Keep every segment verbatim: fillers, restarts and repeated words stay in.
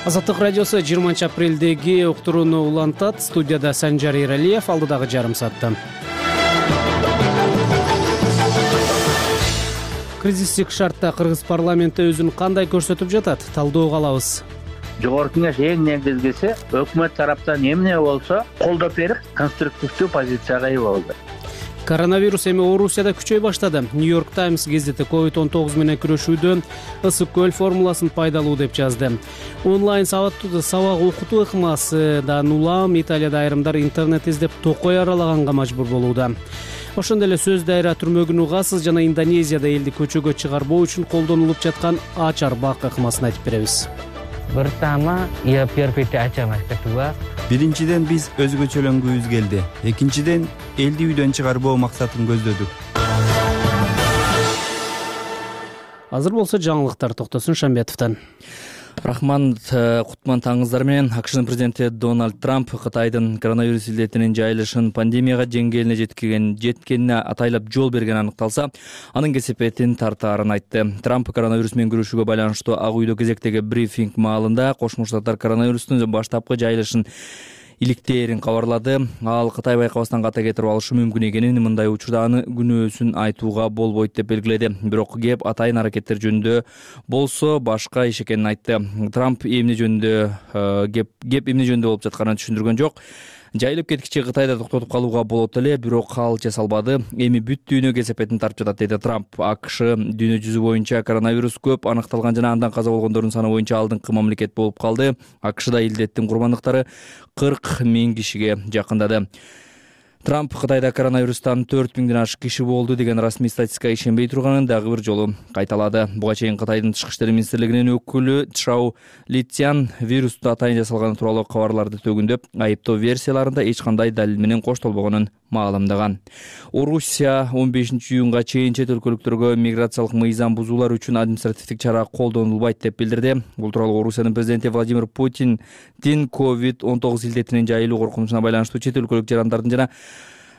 Азаттык радиосу жыйырманчы апрелдеги уктурууну улантат. Студияда Санжар Эралиев, алдыдагы жарым саатта. Кризистик шартта кыргыз парламенти өзүн кандай көрсөтүп жатат? Талдоого алабыз. Жогорку кеңеш эң негизгиси өкмөт тараптан эмне болсо колдоп берип, конструктивдүү позицияга ээ болду. Коронавирус эми Орусияда күчөй баштады. New York Times газети ковид он тогуз менен күрөшүүдө ысык көл формуласын пайдалуу деп жазды. Онлайн сабак окутуу ыкмасынан улам Италияда айрымдар интернет издеп токой аралаганга мажбур болууда. Ошондой эле сөз дайра түрмөгүн угасыз жана Индонезияда элди көчөгө чыгарбоо үчүн колдонулуп жаткан ачар бак ыкмасын айтып беребиз. Pertama, ya biar beda aja mas. Kedua, Биринчиден биз өзгөчөлөнгүбүз келди. Экинчиден элди үйдөн чыгарбоо максатын көздөдүк. Азыр болсо жаңылыктар Токтосун Шамбетовдон. Рахман Кутман таңыздар менен АКШнын президенти Дональд Трамп Кытайдын коронавирус илдетинин жайылышын пандемияга жеңгелине жеткиген жеткенине атайлап жол берген аныкталса, анын кесепетин тартаарын айтты. Трамп коронавирус менен күрөшүүгө байланыштуу Ак үйдө кезектеги брифинг маалында Кошмо Штаттар коронавирустун баштапкы жайылышын иликтээрин кабарлады. Ал Кытай байкабастан ката кетирип алышы мүмкүн экенин, мындай учурда аны күнөөсүн айтууга болбойт деп белгиледи. Бирок кеп атайын аракеттер жөнүндө болсо башка иш экенин айтты. Трамп эмне жөнүндө кеп кеп эмне жөнүндө болуп жатканын түшүндүргөн жок. Жайылып кеткиче Кытайда токтотуп калууга болот эле, бирок ал жасалбады. Эми бүт дүйнө кесепетин тартып жатат, деди Трамп. АКШ дүйнө жүзү боюнча коронавирус көп аныкталган жана андан каза болгондордун саны боюнча алдыңкы мамлекет болуп калды. АКШда илдеттин курбандыктары кырк миң кишиге жакындады. Трамп Кытайда коронавирустан төрт миңден ашык киши болду деген расмий статистикага ишенбей турганын дагы бир жолу кайталады. Буга чейин Кытайдын тышкы иштер министрлигинин өкүлү Чжао Литян вирусту атайын жасалганы тууралуу кабарларды төгүндөп, айыптоо версияларында эч кандай далил менен коштолбогонун маалымдаган. Орусия он бешинчи июнга чейин чет өлкөлүктөргө миграциялык мыйзам бузуулар үчүн административдик чара колдонулбайт деп билдирди. Бул тууралуу Орусиянын президенти Владимир Путиндин ковид он тогуз илдетинин жайылуу коркунучуна байланыштуу чет өлкөлүк жарандардын жана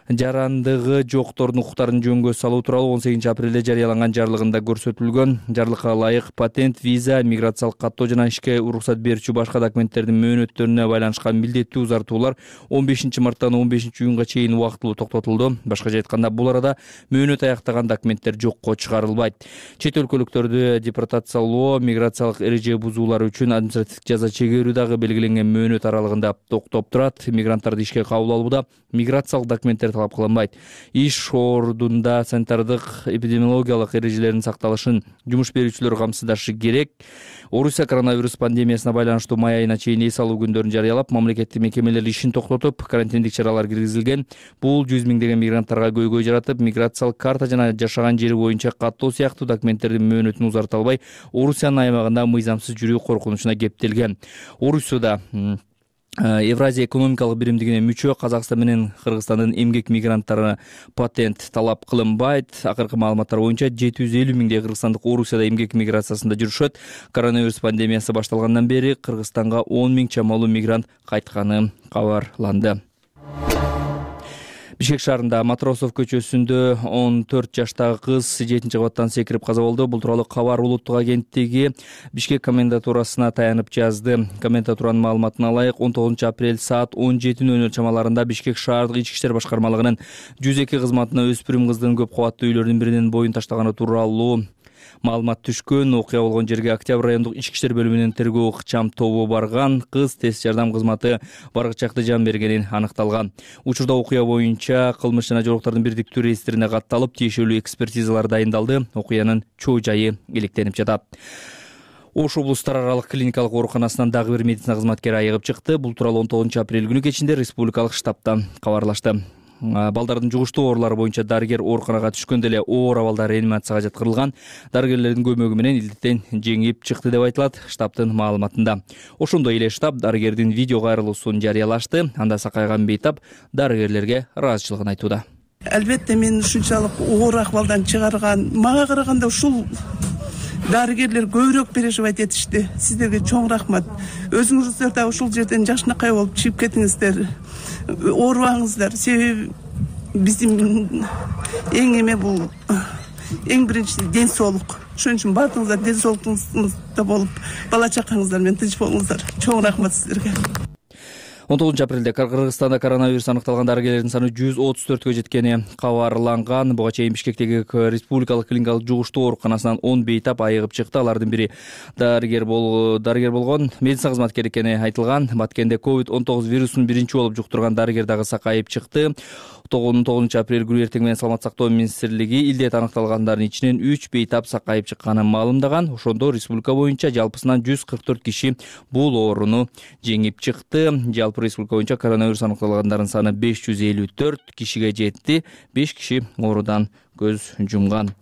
жарандыгы жоктордун укуктарын жөнгө салуу тууралуу он сегизинчи апрелде жарыяланган жарлыгында көрсөтүлгөн. Жарлыкка ылайык патент, виза, миграциялык каттоо жана ишке уруксат берүүчү башка документтердин мөөнөттөрүнө байланышкан милдеттүү узартуулар он бешинчи марттан он бешинчи июнга чейин убактылуу токтотулду. Башкача айтканда, бул арада мөөнөт аяктаган документтер жокко чыгарылбайт. Чет өлкөлүктөрдү депортациялоо, миграциялык эреже бузуулар үчүн административдик жаза чегерүү дагы белгиленген мөөнөт аралыгында токтоп турат. Мигранттарды ишке кабыл алууда миграциялык документтер талап кылынбайт. Иш ордунда санитардык эпидемиологиялык эрежелердин сакталышын жумуш берүүчүлөр камсыздашы керек. Орусия коронавирус пандемиясына байланыштуу май айына чейин эс алуу күндөрүн жарыялап, мамлекеттик мекемелер ишин токтотуп, карантиндик чаралар киргизилген. Бул жүз миңдеген мигранттарга көйгөй жаратып, миграциялык карта жана жашаган жери боюнча каттоо сыяктуу документтердин мөөнөтүн узарта албай, Орусиянын аймагында мыйзамсыз жүрүү коркунучуна кептелген. Орусияда Евразия экономикалык биримдигине мүчө Казакстан менен Кыргызстандын эмгек мигранттарына патент талап кылынбайт. Акыркы маалыматтар боюнча жети жүз элүү миңдей кыргызстандык Орусияда эмгек миграциясында жүрүшөт. Коронавирус пандемиясы башталгандан бери Кыргызстанга он миң чамалуу мигрант кайтканы кабарланды. Бишкек шаарында Матросов көчөсүндө он төрт жаштагы кыз жетинчи кабаттан секирип каза болду. Бул тууралуу кабар улуттук агенттиги Бишкек комендатурасына таянып жазды. Комендатуранын маалыматына ылайык, он тогузунчу апрель саат он жети ноль ноль чамаларында Бишкек шаардык ички иштер башкармалыгынын жүз эки кызматына өспүрүм кыздын көп кабаттуу үйлөрдүн биринин боюн таштаганы тууралуу маалымат түшкөн. Окуя болгон жерге Октябрь райондук ички иштер бөлүмүнүн тергөө ыкчам тобу барган. Кыз тез жардам кызматы баргычакты жан бергенин аныкталган. Учурда окуя боюнча кылмыш жана жоруктардын бирдиктүү реестрине катталып, тиешелүү экспертизалар дайындалды. Окуянын чоо жайы иликтенип жатат. Ош облустар аралык клиникалык ооруканасынан дагы бир медицина кызматкери айыгып чыкты. Бул тууралуу он тогузунчу апрель күнү кечинде республикалык штабтан кабарлашты. Балдардын жугуштуу оорулары боюнча дарыгер ооруканага түшкөндө эле оор абалда реанимацияга жаткырылган. Дарыгерлердин көмөгү менен илдеттен жеңип чыкты деп айтылат штабтын маалыматында. Ошондой эле штаб дарыгердин видео кайрылуусун жарыялашты. Анда Сакайган Бейтап дарыгерлерге ыраазычылыгын айтууда. Албетте мен ушунчалык оор акыбалдан чыгарган, мага караганда ушул дарыгерлер көбүрөөк переживать этишти. Сиздерге чоң рахмат. Өзүңүздөр да ушул жерден жакшынакай болуп чыгып кетиңиздер. Оорубаңыздар. Себеби биздин эң эме бул эң биринчи ден соолук. Ошон үчүн баардыгыңыздар ден соолугуңузда болуп, бала чакаңыздар менен тынч болуңуздар. Чоң рахмат сиздерге. он тогузунчу апрелде Кыргызстанда коронавирус аныкталган дарыгерлердин саны жүз отуз төрткө жеткени кабарланган. Буга чейин Бишкектеги Республикалык клиникалык жугуштуу ооруканасынан он бейтап айыгып чыкты. Алардын бири дарыгер бол дарыгер болгон медицина кызматкери экени айтылган. Баткенде ковид он тогуз вирусун биринчи болуп жуктурган дарыгер дагы сакайып чыкты. он тогузунчу апрель күнү эртең менен Саламаттык сактоо министрлиги илдет аныкталгандардын ичинен үч бейтап сакайып чыкканын маалымдаган. Ошондо республика боюнча жалпысынан жүз кырк төрт киши бул ооруну жеңип чыкты. Жалпы республика боюнча коронавирус аныкталгандардын саны беш жүз элүү төрт кишиге жетти. беш киши оорудан көз жумган.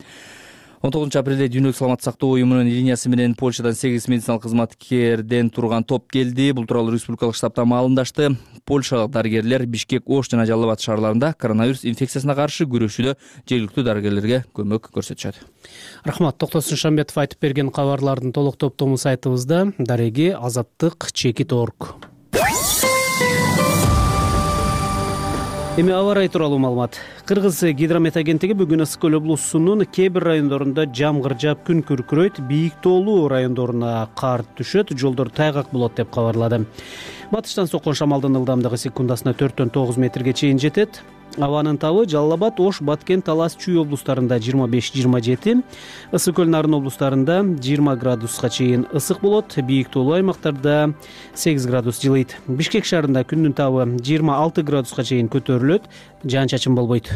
он тогузунчу апрелде Дүйнөлүк саламаттык сактоо уюмунун линиясы менен Польшадан сегиз медициналык кызматкерден турган топ келди. Бул тууралуу республикалык штабтан маалымдашты. Польшалык дарыгерлер Бишкек, Ош жана Жалал Абад шаарларында коронавирус инфекциясына каршы күрөшүүдө жергиликтүү дарыгерлерге көмөк көрсөтүшөт. Рахмат. Токтосун Шамбетов айтып берген кабарлардын толук топтому сайтыбызда. Дареги азаттык чекит точка орг. Эми аба ырайы тууралуу маалымат. Кыргыз гидромет агенттиги бүгүн Ысык көл облусунун кээ бир райондорунда жамгыр жаап күн күркүрөйт, бийик тоолуу райондоруна кар түшөт, жолдор тайгак болот деп кабарлады. Батыштан соккон шамалдын ылдамдыгы секундасына төрттөн тогуз метрге чейин жетет. Абанын табы Жалал Абад, Ош, Баткен, Талас, Чүй облустарында жыйырма беш жыйырма жети, Ысык көл Нарын облустарында жыйырма градуска чейин ысык болот, бийик тоолуу аймактарда сегиз градус жылыйт. Бишкек шаарында күндүн табы жыйырма алты градуска чейин көтөрүлөт, жаан-чачын болбойт.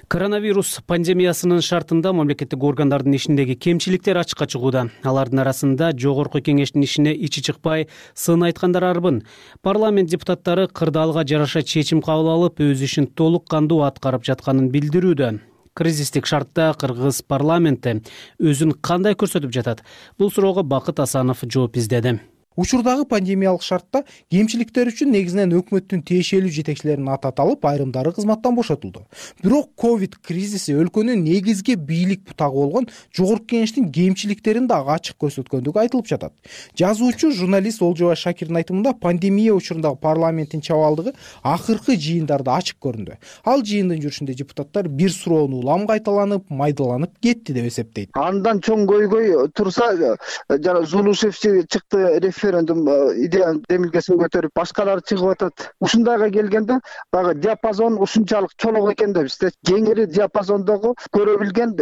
Коронавирус пандемиясынын шартында мамлекеттик органдардын ишиндеги кемчиликтер ачыкка чыгууда. Алардын арасында жогорку кеңештин ишине ичи чыкпай сын айткандар арбын. Парламент депутаттары кырдаалга жараша чечим кабыл алып, өз ишин толук кандуу аткарып жатканын билдирүүдө. Кризистик шартта Кыргыз парламенти өзүн кандай көрсөтүп жатат? Бул суроого Бакыт Асанов жооп издеди. Учурдагы пандемиялык шартта кемчиликтер үчүн негизинен өкмөттүн тиешелүү жетекчилерин ататалып, айрымдары кызматтан бошотулду. Бирок ковид кризиси өлкөнүн негизги бийлик бутагы болгон жогорку кеңештин кемчиликтерин дагы ачык көрсөткөндүгү айтылып жатат. Жазуучу, журналист Олжобай Шакирдин айтымында пандемия учурундагы парламенттин чабалдыгы акыркы жыйындарда ачык көрүндү. Ал жыйындын жүрүшүндө депутаттар бир суроону улам кайталанып, майдаланып кетти деп эсептейт. Андан чоң көйгөй турса, жана Зулушев чыкты, референдум идея демилгесин көтөрүп, башкалар чыгып атат. Ушундайга келгенде, багы диапазон ушунчалык чоңок экен да бизде кеңири диапазондогу көрө билген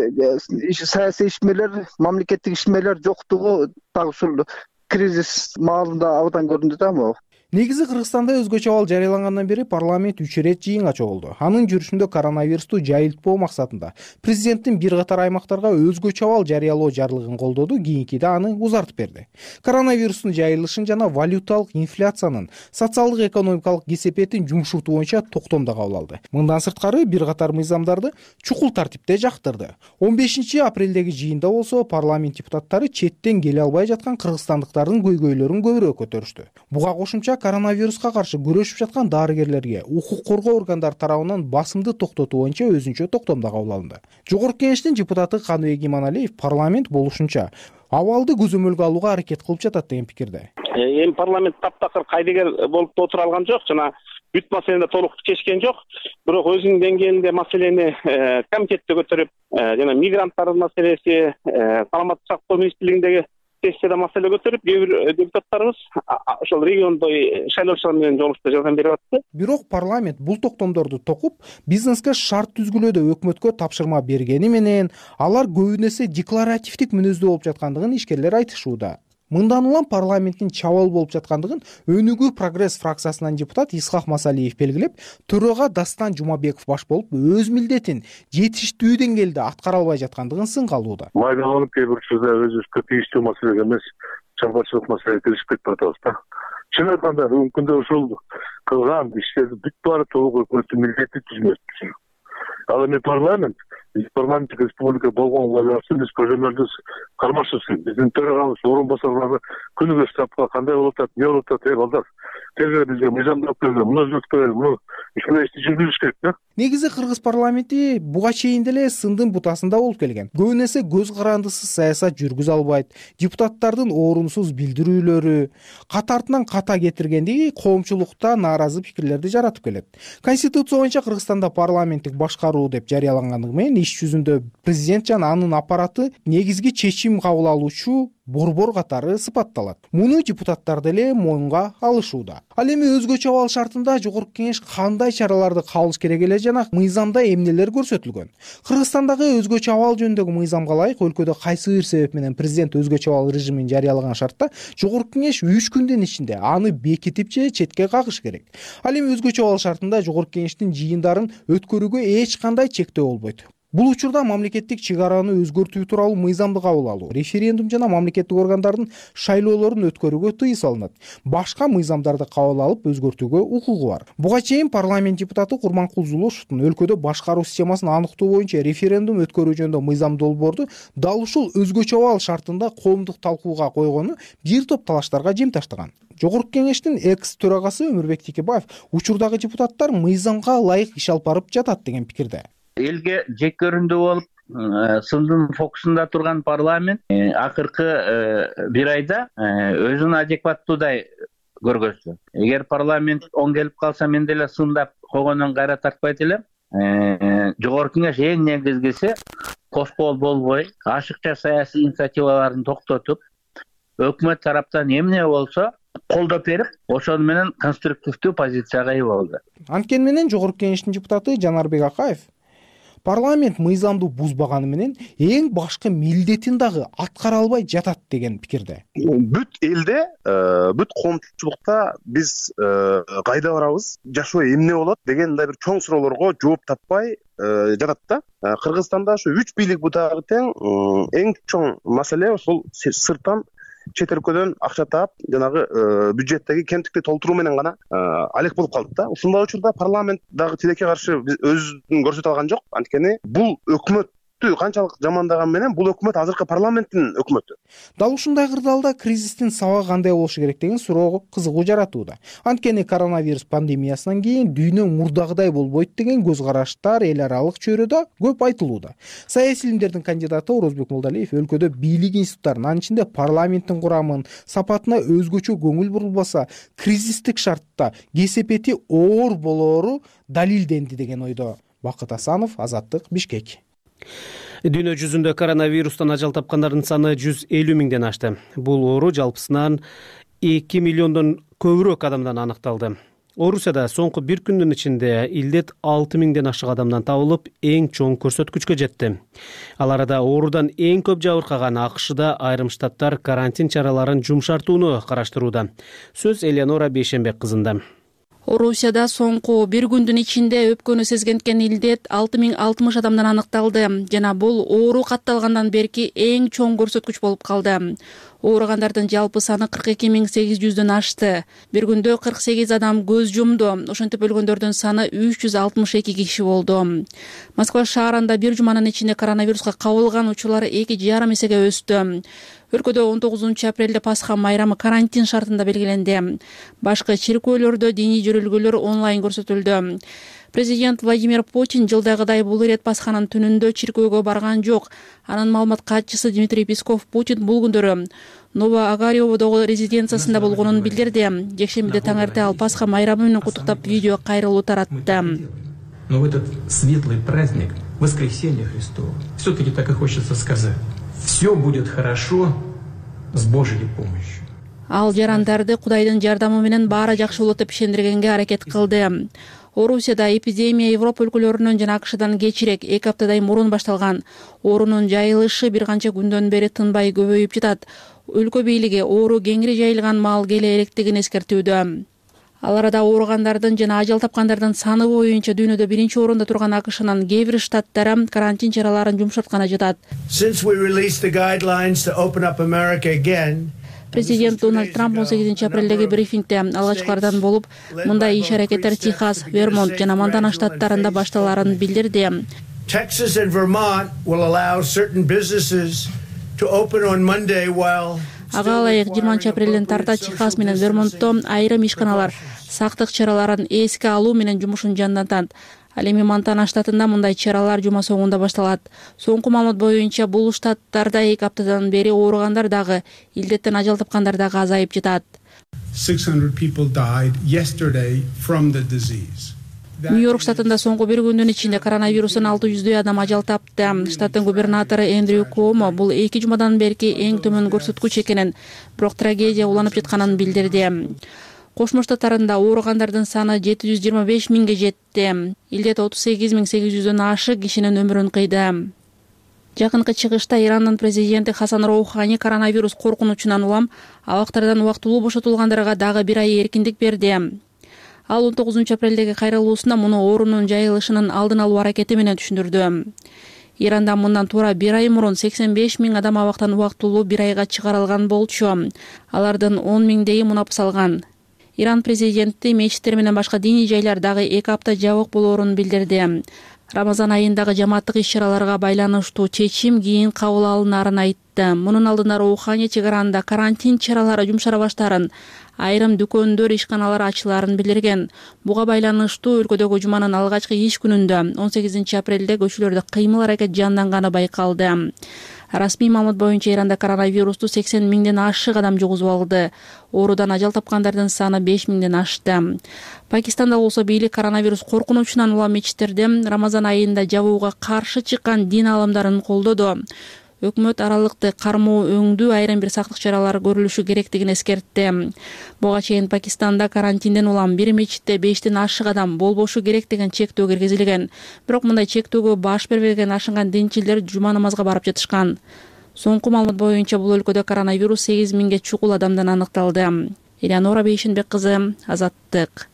саясий ишмерлер, мамлекеттик ишмерлер жоктугу дагы ушул кризис маалында абдан көрүндү да могу. Негизи Кыргызстанда өзгөчө абал жарыялангандан бери парламент үч ирет жыйынга чогулду. Анын жүрүшүндө коронавирусту жайылтпоо максатында президенттин бир катар аймактарга өзгөчө абал жарыялоо жарлыгын колдоду, кийинкиде аны узартып берди. Коронавирустун жайылышын жана валюталык инфляциянын социалдык экономикалык кесепетин жумшуртуу боюнча токтом да кабыл алды. Мындан сырткары бир катар мыйзамдарды чукул тартипте жактырды. он бешинчи апрелдеги жыйында болсо парламент депутаттары четтен келе албай жаткан кыргызстандыктардын көйгөйлөрүн көбүрөөк көтөрүштү. Буга кошумча коронавируска каршы күрөшүп жаткан дарыгерлерге укук коргоо органдары тарабынан басымды токтотуу боюнча өзүнчө токтом да кабыл алынды. Жогорку кеңештин депутаты Каныбек Иманалиев парламент болушунча абалды көзөмөлгө алууга аракет кылып жатат деген пикирде. Эми парламент таптакыр кайдыгер болуп отура алган жок, жана бүт маселени толук чечкен жок. Бирок өзүнүн деңгээлинде маселени комитетте көтөрүп, жана мигранттардын маселеси, саламаттык сактоо министрлигиндеги сессияда маселе көтөрүп, кээ бир депутаттарыбыз ошол региондо шайлоочулар менен жолугушуп жардам берип атты. Бирок парламент бул токтомдорду токуп, бизнеске шарт түзгүлөөдө өкмөткө тапшырма бергени менен алар көбүн эсе декларативдик мүнөздүү болуп жаткандыгын ишкерлер айтышууда. Мындан улам парламенттин чабал болуп жаткандыгын Өнүгүү прогресс фракциясынан депутат Исхак Масалиев белгилеп, төрага Дастан Жумабеков баш болуп, өз милдетин жетиштүү деңгээлде аткара албай жаткандыгын сынга алууда. Майдаланып кээ бир учурда өзүбүзгө тийиштүү маселеге эмес, чарбачылык маселеге киришип кетип атабыз да. Чын айтканда, бүгүнкү күндө ушул кылган иштерди бүт баары толук өкмөттүн милдети түзмөк. Ал эми парламент парламенттик республика болгонго байланыштуу биз көзөмөлдү кармашыбыз. Биздин төрагабыз, орун басарлары күнүгө штабка кандай болуп атат, эмне болуп атат, э балдар, тезирээк бизге мыйзамдап бериңер, муну өзгөртүп бериңер, муну ишке ишти жүргүзүш керек да. Негизи кыргыз парламенти буга чейин деле сындын бутасында болуп келген. Көбүнесе көз карандысыз саясат жүргүзө албайт, депутаттардын орунсуз билдирүүлөрү кат артынан ката кетиргендиги коомчулукта нааразы пикирлерди жаратып келет. Конституция боюнча Кыргызстанда парламенттик башкаруу деп жарыялангандыгы менен иш жүзүндө президент жана анын аппараты негизги чечим кабыл алуучу борбор катары сыпатталат. Муну депутаттар деле моюнга алышууда. Ал эми өзгөчө абал шартында жогорку кеңеш кандай чараларды кабылыш керек эле жана мыйзамда эмнелер көрсөтүлгөн? Кыргызстандагы өзгөчө абал жөнүндөгү мыйзамга ылайык өлкөдө кайсы бир себеп менен президент өзгөчө абал режимин жарыялаган шартта жогорку кеңеш үч күндүн ичинде аны бекитип же четке кагыш керек. Ал эми өзгөчө абал шартында жогорку кеңештин жыйындарын өткөрүүгө эч кандай чектөө болбойт. Бул учурда мамлекеттик чек араны өзгөртүү тууралуу мыйзамды кабыл алуу, референдум жана мамлекеттик органдардын шайлоолорун өткөрүүгө тыюу салынат. Башка мыйзамдарды кабыл алып өзгөртүүгө укугу бар. Буга чейин парламент депутаты Курманкул Зулушевдун өлкөдө башкаруу системасын аныктоо боюнча референдум өткөрүү жөнүндө мыйзам долбоорду дал ушул өзгөчө абал шартында коомдук талкууга койгону бир топ талаштарга жем таштаган. Жогорку кеңештин экс төрагасы Өмүрбек Текебаев учурдагы депутаттар мыйзамга ылайык иш алып барып жатат деген пикирде. Элге жек көрүндү болуп, сындын фокусунда турган парламент акыркы бир айда өзүн адекваттуудай көргөздү. Эгер парламент оң келип калса, мен деле сындап койгондон кайра тартпайт элем. Жогорку кеңеш эң негизгиси коскол болбой, ашыкча саясий инициативаларын токтотуп, өкмөт тараптан эмне болсо колдоп берип, ошону менен конструктивдүү позицияга ээ болду. Анткени менен жогорку кеңештин депутаты Жанарбек Акаев парламент мыйзамды бузбаганы менен эң башкы милдетин дагы аткара албай жатат деген пикирде. Бүт элде, бүт коомчулукта биз кайда барабыз, жашоо эмне болот деген мындай бир чоң суроолорго жооп таппай жатат да. Кыргызстанда ошо үч бийлик бутагы тең эң чоң маселе ошол сырттан чет өлкөдөн акча таап, жанагы бюджеттеги кемтикти толтуруу менен гана алек болуп калдык да. Ушундай учурда парламент дагы тилекке каршы өзүн көрсөтө алган жок. Анткени бул өкмөт канчалык жамандаган менен бул өкмөт азыркы парламенттин өкмөтү. Дал ушундай кырдаалда кризистин сабагы кандай болушу керек деген суроо кызыгуу жаратууда. Анткени коронавирус пандемиясынан кийин дүйнө мурдагыдай болбойт деген көз караштар эл аралык чөйрөдө көп айтылууда. Саясий илимдердин кандидаты Орозбек Молдалиев өлкөдө бийлик институттарын, анын ичинде парламенттин курамын, сапатына өзгөчө көңүл бурулбаса, кризистик шартта кесепети оор болоору далилденди деген ойдо. Бакыт Асанов, Азаттык, Бишкек. Дүйнө жүзүндө коронавирустан ажал тапкандардын саны жүз элүү миңден ашты. Бул оору жалпысынан эки миллиондон көбүрөөк адамдан аныкталды. Орусияда соңку бир күндүн ичинде илдет алты миңден ашык адамдан табылып, эң чоң көрсөткүчкө жетти. Ал арада оорудан эң көп жабыркаган АКШда айрым штаттар карантин чараларын жумшартууну караштырууда. Сөз Элеонора Бейшенбек кызында. Орусияда соңку бир күндүн ичинде өпкөнү сезгенткен илдет алты миң алтымыш адамдан аныкталды жана бул оору катталгандан берки эң чоң көрсөткүч болуп калды. Ооругандардын жалпы саны кырк эки миң сегиз жүздөн ашты. Бир күндө кырк сегиз адам көз жумду. Ошентип өлгөндөрдүн саны үч жүз алтымыш эки киши болду. Москва шаарында бир жуманын ичинде коронавируска кабылган учурлар эки жарым эсеге өстү. Өлкөдө он тогузунчу апрелде Пасха майрамы карантин шартында белгиленди. Башкы чиркөөлөрдө диний жөрөлгөлөр онлайн көрсөтүлдү. Президент Владимир Путин жылдагыдай бул ирет Пасханын түнүндө чиркөөгө барган жок. Анын маалымат катчысы Дмитрий Песков Путин бул күндөрү Новоогариовдогу резиденциясында болгонун билдирди. Жекшембиде таң эрте ал Пасха майрамы менен куттуктап видео кайрылуу таратты. Но в этот светлый праздник Воскресения Христова все-таки так и хочется сказать: все будет хорошо с Божьей помощью. Ал жарандарды Кудайдын жардамы менен баары жакшы болот деп ишендиргенге аракет кылды. Орусияда эпидемия Европа өлкөлөрүнөн жана АКШдан кечирээк эки аптадай мурун башталган. Оорунун жайылышы бир канча күндөн бери тынбай көбөйүп жатат. Өлкө бийлиги оору кеңири жайылган маал келе электигин эскертүүдө. Ал арада ооругандардын жана ажал тапкандардын саны боюнча дүйнөдө биринчи орунда турган АКШнын кээ бир штаттары карантин чараларын жумшартканы жатат. Президент Дональд Трамп он сегизинчи апрелдеги брифингде алгачкылардан болуп, мындай иш-аракеттер Техас, Вермонт жана Монтана штаттарында башталарын билдирди. Texas and Vermont will allow certain businesses to open on Monday while ага ылайык жыйырманчы апрелден тарта Техас менен Вермонтто айрым ишканалар сактык чараларын эске алуу менен жумушун жандантат. Ал эми Монтана штатында мындай чаралар жума соңунда башталат. Соңку маалымат боюнча бул штаттарда эки аптадан бери ооругандар дагы, илдеттен ажал тапкандар дагы азайып жатат. six hundred people died yesterday from the disease. Нью-Йорк штатында соңку бир күндүн ичинде коронавирустан алты жүздөй адам ажал тапты. Штаттын губернатору Эндрю Куомо бул эки жумадан берки эң төмөн көрсөткүч экенин, бирок трагедия уланып жатканын билдирди. Кошмо Штаттарында ооругандардын саны жети жүз жыйырма беш миңге жетти. Илдет отуз сегиз миң сегиз жүздөн ашык кишинин өмүрүн кыйды. Жакынкы чыгышта Ирандын президенти Хасан Роухани коронавирус коркунучунан улам абактардан убактылуу бошотулгандарга дагы бир ай эркиндик берди. Ал он тогузунчу апрелдеги кайрылуусунда муну оорунун жайылышынын алдын алуу аракети менен түшүндүрдү. Иранда мындан туура бир ай мурун сексен беш миң адам абактан убактылуу бир айга чыгарылган болчу. Алардын он миңдейи мунап салган. Иран президенти мечиттер менен башка диний жайлар дагы эки апта жабык болоорун билдирди. Рамазан айындагы жамааттык иш-чараларга байланыштуу чечим кийин кабыл алынарын айтты. Мунун алдында Роухани чек аранда карантин чаралары жумшара баштарын, айрым дүкөндөр, ишканалар ачыларын билдирген. Буга байланыштуу өлкөдөгү жуманын алгачкы иш күнүндө он сегизинчи апрелде көчөлөрдө кыймыл аракет жанданганы байкалды. Расмий маалымат боюнча Иранда коронавирусту сексен миңден ашык адам жугузуп алды. Оорудан ажал тапкандардын саны беш миңден ашты. Пакистанда болсо бийлик коронавирус коркунучунан улам мечиттерде Рамазан айында жабууга каршы чыккан дин аалымдарын колдоду. Өкмөт аралыкты кармоо өңдүү айрым бир сактык чаралары көрүлүшү керектигин эскертти. Буга чейин Пакистанда карантинден улам бир мечитте бештен ашык адам болбошу керек деген чектөө киргизилген. Бирок мындай чектөөгө баш бербеген ашынган динчилер жума намазга барып жатышкан. Соңку маалымат боюнча бул өлкөдө коронавирус сегиз миңге чукул адамдан аныкталды. Элеонора Бейшенбек кызы, Азаттык.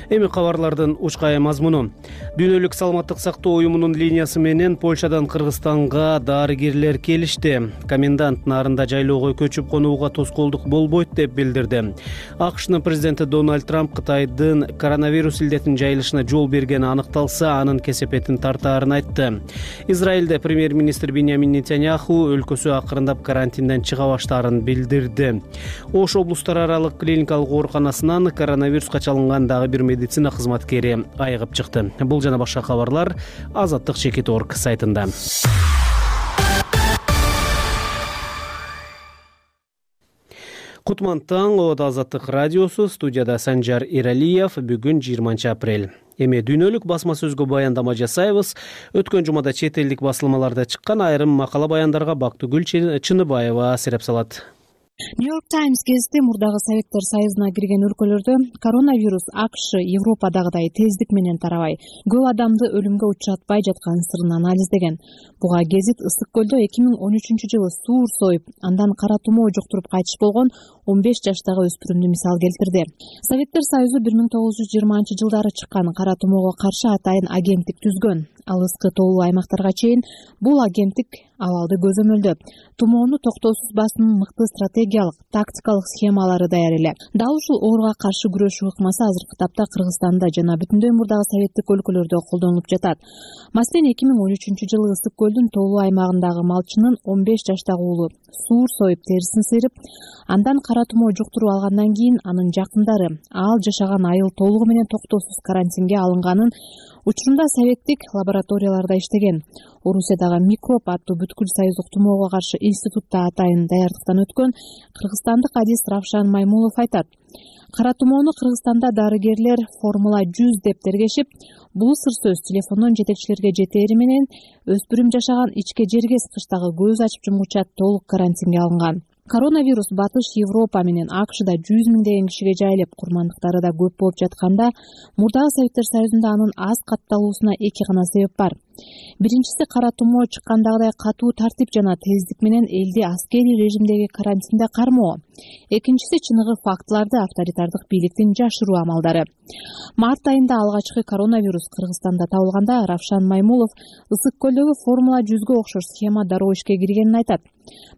Эми кабарлардын учкай мазмуну. Дүйнөлүк саламаттык сактоо уюмунун линиясы менен Польшадан Кыргызстанга дарыгерлер келишти. Комендант нарында жайлоого көчүп конууга тоскоолдук болбойт деп билдирди. АКШнын президенти Дональд Трамп Кытайдын коронавирус илдетинин жайылышына жол бергени аныкталса, анын кесепетин тартаарын айтты. Израилде премьер-министр Биньямин Нетаньяху өлкөсү акырындап карантинден чыга баштаарын билдирди. Ош облустар аралык клиникалык ооруканасынан коронавируска чалынган дагы бир медицина кызматкери айыгып чыкты. Бул жана башка кабарлар Азаттык чекит точка орг сайтында. Кутман таң, Ода Азаттык радиосу, студияда Санжар Иралиев. Бүгүн жыйырманчы апрель. Эми дүйнөлүк басма сөзгө баяндама жасайбыз. Өткөн жумада чет элдик басылмаларда чыккан айрым макала баяндарга Бактыгүл Чыныбаева сереп салат. Нью-Йорк Таймс гезити мурдагы Советтер Союзуна кирген өлкөлөрдө коронавирус АКШ Европадагыдай тездик менен тарабай, көп адамды өлүмгө учуратпай жаткан сырын анализдеген. Буга гезит Ысык көлдө эки миң он үчүнчү жылы суур союп, андан кара тумоо жуктуруп кайтыш болгон он беш жаштагы өспүрүмдү мисал келтирди. Советтер Союзу бир миң тогуз жүз жыйырманчы жылдары чыккан кара тумоого каршы атайын агенттик түзгөн. Ал ыскы тоолуу аймактарга чейин бул агенттик абалды көзөмөлдөп, тумоону токтоосуз басуунун мыкты стратегиялык, тактикалык схемалары даяр эле. Дал ушул ооруга каршы күрөшүү ыкмасы азыркы тапта Кыргызстанда жана бүтүндөй мурдагы советтик өлкөлөрдө колдонулуп жатат. Маселен, эки миң он үчүнчү жылы Ысык көлдүн тоолуу аймагындагы малчынын он беш жаштагы уулу суур союп терисин сыйрып, андан кара тумоо жуктуруп алгандан кийин анын жакындары ал жашаган айыл толугу менен токтоосуз карантинге алынганын учурунда советтик лабораторияларда иштеген. Орусиядагы микроб аттуу бүткүл союздук тумоого каршы институтта атайын даярдыктан өткөн кыргызстандык адис Равшан Маймулов айтат. Кара тумоону Кыргызстанда дарыгерлер формула жүз деп тергешип, бул сыр сөз телефондон жетекчилерге жетери менен өспүрүм жашаган ичке жергес кыштагы көз ачып жумгуча толук карантинге алынган. Коронавирус Батыш Европа менен АКШда жүз миңдеген кишиге жайылып, курмандыктары да көп болуп жатканда, мурдагы Советтер Союзунда анын аз катталуусуна эки гана себеп бар. Биринчиси кара тумоо чыккандагыдай катуу тартип жана тездик менен элди аскерий режимдеги карантинде кармоо. Экинчиси чыныгы фактыларды авторитардык бийликтин жашыруу амалдары. Март айында алгачкы коронавирус Кыргызстанда табылганда Равшан Маймулов Ысык көлдөгү Формула жүзгө окшош схема дароо ишке киргенин айтат.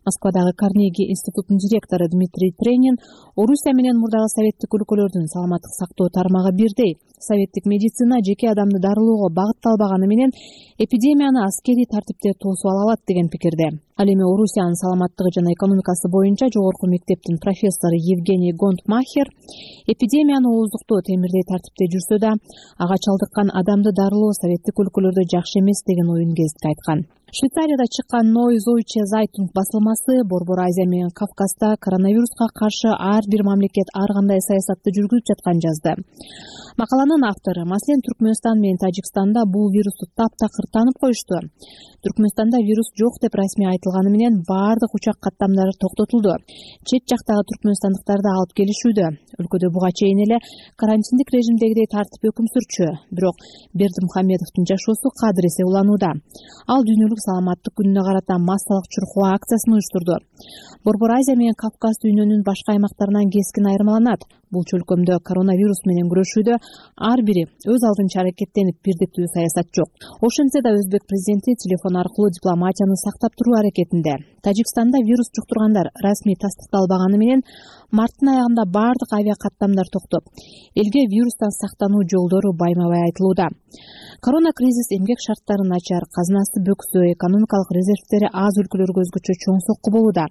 Москвадагы Карнеги институтунун директору Дмитрий Тренин Орусия менен мурдагы советтик өлкөлөрдүн саламаттык сактоо тармагы бирдей. Советтик медицина жеке адамды дарылоого багытталбаганы менен эпидемияны аскерий тартипте тосуп ала алат деген пикирде. Ал эми Орусиянын саламаттыгы жана экономикасы боюнча жогорку мектептин профессору Евгений Гонтмахер эпидемияны ооздуктоо темирдей тартипте жүрсө да, ага чалдыккан адамды дарылоо советтик өлкөлөрдө жакшы эмес деген оюн гезитке айткан. Швейцарияда чыккан Neue Deutsche Zeitung басылмасы Борбор Азия менен Кавказда коронавируска каршы ар бир мамлекет ар кандай саясатты жүргүзүп жатканын жазды. Макаланын автору, маселен Түркмөнстан менен Тажикстанда бул вирусту таптакыр таанып коюшту. Түркмөнстанда вирус жок деп расмий айтылганы менен баардык учак каттамдары токтотулду. Чет жактагы түркмөнстандыктарды алып келишүүдө. Өлкөдө буга чейин эле карантиндик режимдегидей тартип өкүм сүрчү. Бирок Бердимухамедовдун жашоосу кадыресе уланууда. Ал дүйнөлүк саламаттык күнүнө карата массалык чуркоо акциясын уюштурду. Борбор Азия менен Кавказ дүйнөнүн башка аймактарынан кескин айырмаланат. Бул чөлкөмдө коронавирус менен күрөшүүдө ар бири өз алдынча аракеттенип бирдиктүү саясат жок. Ошентсе да Өзбек президенти телефон аркылуу дипломатияны сактап туруу аракетинде. Тажикстанда вирус жуктургандар расмий тастыкталбаганы менен марттын аягында баардык авиа каттамдар токтоп, элге вирустан сактануу жолдору байма-бай айтылууда. Корона кризис эмгек шарттары начар, казынасы бөксө, экономикалык резервдери аз өлкөлөргө өзгөчө чоң сокку болууда.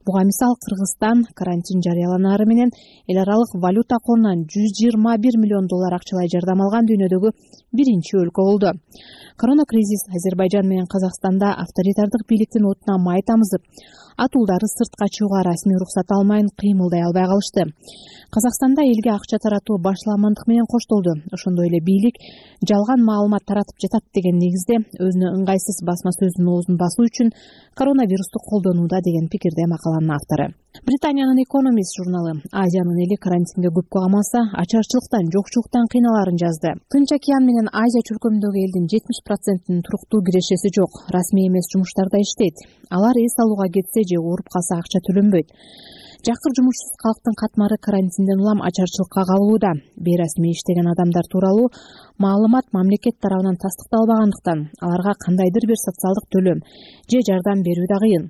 Буга мисал Кыргызстан карантин жарыяланары менен эл аралык валюта корунан жүз жыйырма бир миллион доллар акчалай жардам алган дүйнөдөгү биринчи өлкө болду. Корона кризис Азербайжан менен Казакстанда авторитардык бийликтин отуна май тамызып, атуулдары сыртка чыгууга расмий уруксат алмайын кыймылдай албай калышты. Казакстанда элге акча таратуу башламандык менен коштолду. Ошондой эле бийлик жалган маалымат таратып жатат деген негизде өзүнө ыңгайсыз басма сөздүн оозун басуу үчүн коронавирусту колдонууда деген пикирде макаланын автору. Британиянын Economist журналы Азиянын эли карантинге көп камалса, ачарчылыктан, жокчулуктан кыйналарын жазды. Тынч океан менен Азия чөлкөмүндөгү элдин жетимиш процентинин туруктуу кирешеси жок, расмий эмес жумуштарда иштейт. Алар эс алууга кетсе же ооруп калса акча төлөнбөйт. Жакыр жумушсуз калктын катмары карантинден улам ачарчылыкка кабылууда. Бейрасмий иштеген адамдар тууралуу маалымат мамлекет тарабынан тастыкталбагандыктан аларга кандайдыр бир социалдык төлөм же жардам берүү да кыйын.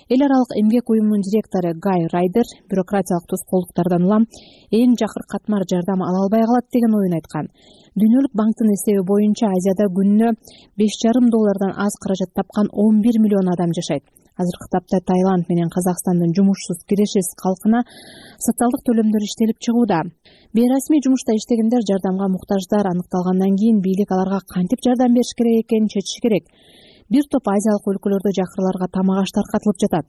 Эл аралык эмгек уюмунун директору Гай Райдер бюрократиялык тоскоолдуктардан улам эң жакыр катмар жардам ала албай калат деген оюн айткан. Дүйнөлүк банктын эсеби боюнча Азияда күнүнө беш жарым доллардан аз каражат тапкан он бир миллион адам жашайт. Азыркы тапта Таиланд менен Казакстандын жумушсуз кирешесиз калкына социалдык төлөмдөр иштелип чыгууда. Бейрасмий жумушта иштегендер жардамга муктаждар аныкталгандан кийин бийлик аларга кантип жардам бериш керек экенин чечиш керек. Бир топ азиялык өлкөлөрдө жакырларга тамак аш таркатылып жатат.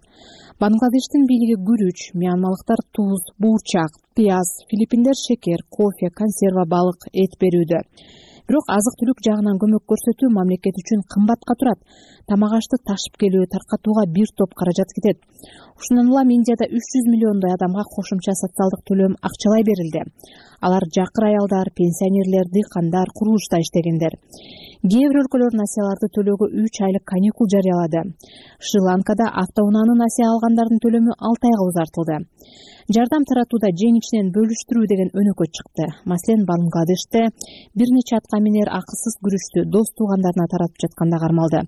Бангладештин бийлиги күрүч, мьянмалыктар туз, буурчак, пияз, филиппиндер шекер, кофе, консерва балык, эт берүүдө. Бирок азык-түлүк жагынан көмөк көрсөтүү мамлекет үчүн кымбатка турат. Тамак ашты ташып келүү, таркатууга бир топ каражат кетет. Ушундан улам Индияда үч жүз миллиондой адамга кошумча социалдык төлөм акчалай берилди. Алар жакыр аялдар, пенсионерлер, дыйкандар, курулушта иштегендер. Кээ бир өлкөлөр насыяларды төлөөгө үч айлык каникул жарыялады. Шри-Ланкада автоунааны насыя алгандардын төлөмү алты айга узартылды. Жардам таратууда жең ичинен бөлүштүрүү деген өнөкөт чыкты. Маселен, Бангладеште бир нече атка минер акысыз күрүчтү дос туугандарына таратып жатканда кармалды.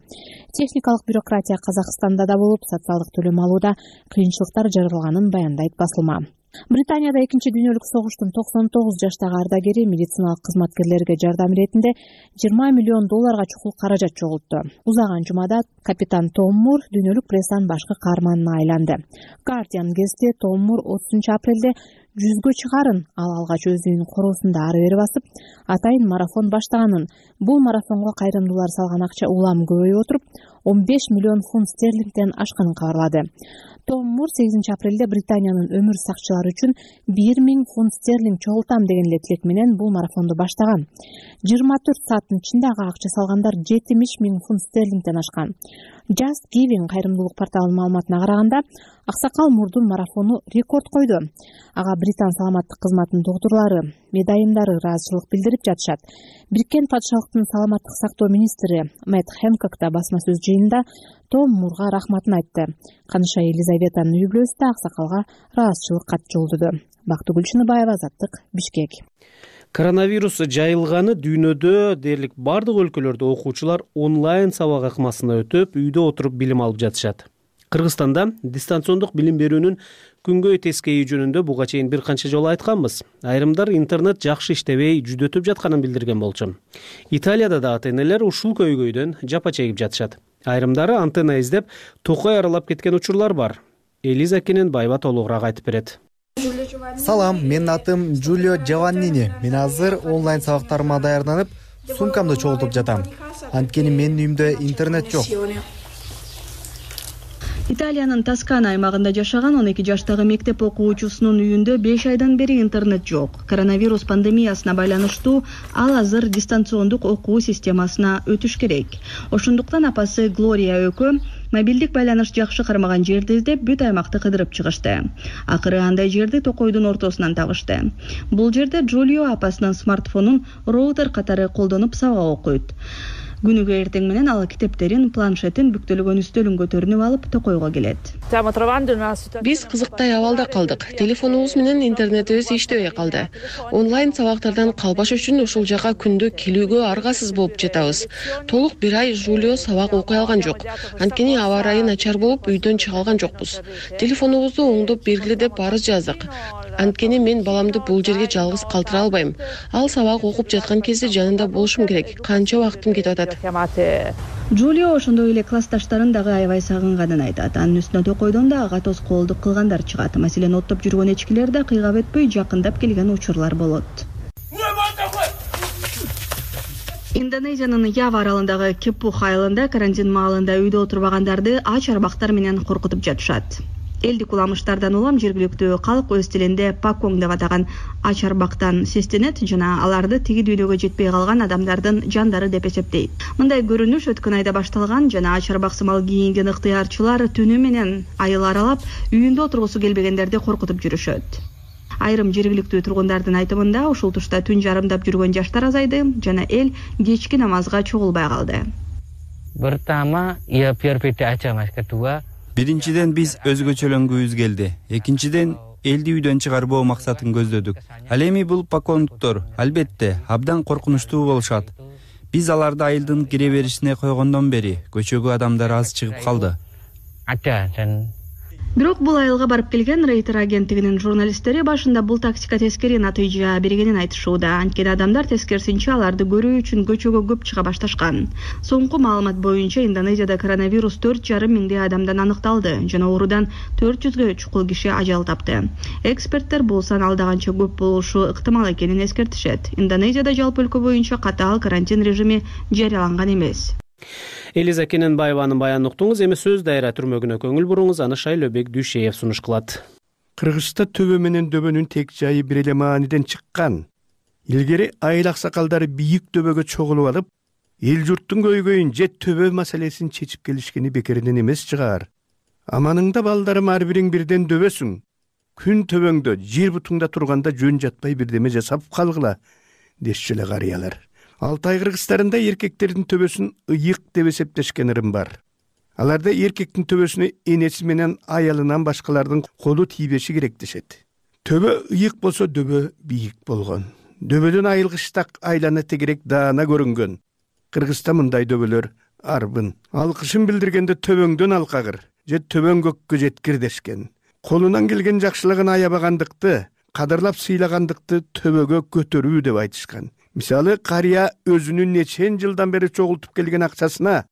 Техникалык бюрократия Казакстанда да болуп, социалдык төлөм алууда кыйынчылыктар жаралганын баяндайт басылма. Британияда экинчи дүйнөлүк согуштун токсон тогуз жаштагы ардагери медициналык кызматкерлерге жардам иретинде жыйырма миллион долларга чукул каражат чогултту. Узаган жумада капитан Том Мур дүйнөлүк прессанын башкы каарманына айланды. Guardian гезити Том Мур отузунчу апрелде жүзгө чыгарын, ал алгач өз үйүнүн короосунда ары бери басып, атайын марафон баштаганын, бул марафонго кайрымдуулар салган акча улам көбөйүп отуруп, он беш миллион фунт стерлингден ашканын кабарлады. Том Мур сегизинчи апрелде Британиянын өмүр сакчылары үчүн бир миң фунт стерлинг чогултам деген эле тилек менен бул марафонду баштаган. жыйырма төрт сааттын ичинде ага акча салгандар жетимиш миң фунт стерлингден ашкан. Just Giving кайрымдуулук порталынын маалыматына караганда, аксакал мурдун марафону рекорд койду. Ага Британ саламаттык кызматынын доктурлары, медайымдары ыраазычылык билдирип жатышат. Бириккен патшалыктын саламаттык сактоо министри Мэтт Хэнкок да басма сөз жыйынында Том Мурга рахматын айтты. Каныша Елизаветанын үй бүлөсү да аксакалга ыраазычылык кат жолдоду. Бактыгүл Чыныбаева, Азаттык, Бишкек. Коронавирус жайылганы дүйнөдө дээрлик бардык өлкөлөрдө окуучулар онлайн сабак ыкмасына өтүп, үйдө отуруп билим алып жатышат. Кыргызстанда дистанциондук билим берүүнүн күнгөй тескейи жөнүндө буга чейин бир канча жолу айтканбыз. Айрымдар интернет жакшы иштебей, жүдөтүп жатканын билдирген болчу. Италияда да ата-энелер ушул көйгөйдөн жапа чегип жатышат. Айрымдары антенна издеп, токой аралап кеткен учурлар бар. Элиза Кененбаева толугураак айтып берет. Салам, менин атым Джулио Джованнини. Мен азыр онлайн сабактарыма даярданып, сумкамды чогултуп жатам. Анткени менин үйүмдө интернет жок. Италиянын Тоскана аймагында жашаган он эки жаштагы мектеп окуучусунун үйүндө беш айдан бери интернет жок. Коронавирус пандемиясына байланыштуу ал азыр дистанциондук окуу системасына өтүш керек. Ошондуктан апасы Глория Өкө мобилдик байланыш жакшы кармаган жерди издеп, бүт аймакты кыдырып чыгышты. Акыры андай жерди токойдун ортосунан табышты. Бул жерде Джулио апасынын смартфонун роутер катары колдонуп сабак окуйт. Күнүгө эртең менен ал китептерин, планшетин, бүктөлгөн үстөлүн көтөрүнүп алып токойго келет. Биз кызыктай абалда калдык. Телефонубуз менен интернетибиз иштебей калды. Онлайн сабактардан калбаш үчүн ушул жака күндө келүүгө аргасыз болуп жатабыз. Толук бир ай Жулио сабак окуй алган жок. Анткени аба ырайы начар болуп, үйдөн чыга алган жокпуз. Телефонубузду оңдоп бергиле деп арыз жаздык. Анткени мен баламды бул жерге жалгыз калтыра албайм. Ал сабак окуп жаткан кезде жанында болушум керек. Канча убактым кетип атат. Джулио ошондой эле классташтарын дагы аябай сагынганын айтат. Анын үстүнө токойдон да ага тоскоолдук кылгандар чыгат. Маселен, оттоп жүргөн эчкилер да кыйгап өтпөй жакындап келген учурлар болот. Индонезиянын Ява аралындагы Кепух айылында карантин маалында үйдө отурбагандарды ач арбактар менен коркутуп жатышат. Элдик уламыштардан улам жергиликтүү калк өз тилинде паконг деп атаган ач арбактан сестенет жана аларды тиги дүйнөгө жетпей калган адамдардын жандары деп эсептейт. Мындай көрүнүш өткөн айда башталган жана ач арбак сымал кийинген ыктыярчылар түнү менен айыл аралап, үйүндө отургусу келбегендерди коркутуп жүрүшөт. Айрым жергиликтүү тургундардын айтымында ушул тушта түн жарымдап жүргөн жаштар азайды жана эл кечки намазга чогулбай калды. Pertama, ia biar beda aja Mas. Kedua, Биринчиден биз өзгөчөлөнгүбүз келди. Экинчиден элди үйдөн чыгарбоо максатын көздөдүк. Ал эми бул паконгдор албетте абдан коркунучтуу болушат. Биз аларды айылдын кире беришине койгондон бери көчөгө адамдар аз чыгып калды. ada dan Бирок бул айылга барып келген Рейтер агенттигинин журналисттери башында бул тактика тескери натыйжа бергенин айтышууда. Анткени адамдар тескерисинче аларды көрүү үчүн көчөгө көп чыга башташкан. Соңку маалымат боюнча Индонезияда коронавирус төрт жарым миңдей адамдан аныкталды жана оорудан төрт жүзгө чукул киши ажал тапты. Эксперттер бул сан алдаганча көп болушу ыктымал экенин эскертишет. Индонезияда жалпы өлкө боюнча катаал карантин режими жарыяланган эмес. Элиза Кененбаеванын баянын уктуңуз. Эми сөз дайра түрмөгүнө көңүл буруңуз. Аны Шайлөбек Дүйшеев сунуш кылат. Кыргызста төбө менен дөбөнүн тек жайы бир эле мааниден чыккан. Илгери айыл аксакалдары бийик төбөгө чогулуп алып, эл журттун көйгөйүн же төбө маселесин чечип келишкени бекеринен эмес чыгар. Аманыңда балдарым ар бириң бирден дөбөсүң. Күн төбөңдө, жер бутуңда турганда жөн жатпай бирдеме жасап калгыла, дешчү эле карыялар. Алтай кыргыздарында эркектердин төбөсүн ыйык деп эсептешкен ырым бар. Аларда эркектин төбөсүнө энеси менен аялынан башкалардын колу тийбеши керек дешет. Төбө ыйык болсо дөбө бийик болгон. Дөбөдөн айылгыштак айлана тегерек даана көрүнгөн. Кыргызда мындай дөбөлөр арбын. Алкышын билдиргенде төбөңдөн алкагыр же төбөң көккө жеткир дешкен. Колунан келген жакшылыгын аябагандыкты, кадырлап сыйлагандыкты төбөгө көтөрүү деп айтышкан. Мисалы, кария өзүнүн нечен жылдан бери чогултуп келген акчасына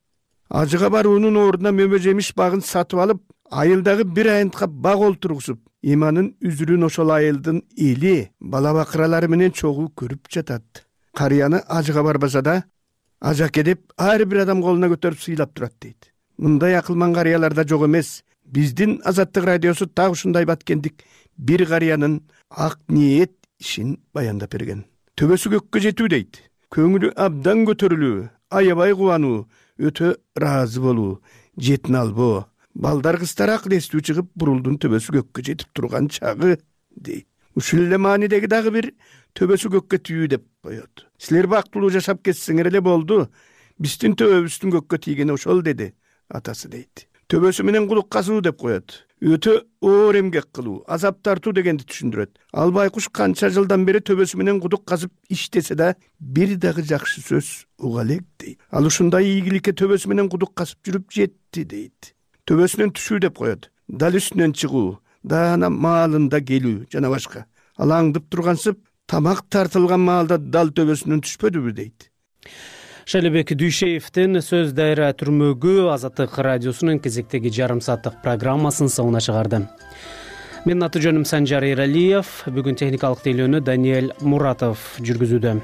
ажыга баруунун ордуна мөмө жемиш багын сатып алып, айылдагы бир айынтка баг олтургузуп, иманын үзүрүн ошол айылдын эли, бала бакыралары менен чогуу көрүп жатат. Карияны ажыга барбаса да, ажаке деп ар бир адам колуна көтөрүп сыйлап турат дейт. Мындай акылман карыялар да жок эмес. Биздин Азаттык радиосу так ушундай баткендик бир карыянын ак ниет ишин баяндап берген. Төбөсү көккө жетүү дейт. Көңүлү абдан көтөрүлүү, аябай кубануу, өтө ыраазы болуу. жетин албоо. Балдар кыздар акыл эстүү чыгып бурулдун төбөсү көккө жетип турган чагы дейт. Ушул эле маанидеги дагы бир төбөсү көккө түйүү деп коет. Силер бактылуу жашап кетсеңер эле болду. Биздин төбөбүздүн көккө тийгени ошол деди атасы дейт. Төбөсү менен кудук казуу деп коет. Өтө оор эмгек кылуу, азап тартуу дегенди түшүндүрөт. Ал байкуш канча жылдан бери төбөсү менен кудук казып иштесе да бир дагы жакшы сөз уга элек дейт. Ал ушундай ийгиликке төбөсү менен кудук казып жүрүп жетти дейт. Төбөсүнөн түшүү деп коет. Дал үстүнөн чыгуу, даана маалында келүү жана башка. Ал аңдып тургансып, тамак тартылган маалда дал төбөсүнөн түшпөдүбү дейт. Шалибек Дүйшеевдин сөз дайра түрмөгү Азаттык радиосунун кезектеги жарым сааттык программасын соңуна чыгарды. Менин аты жөнүм Санжар Эралиев, бүгүн техникалык тейлөөнү Даниэль Муратов жүргүзүүдө.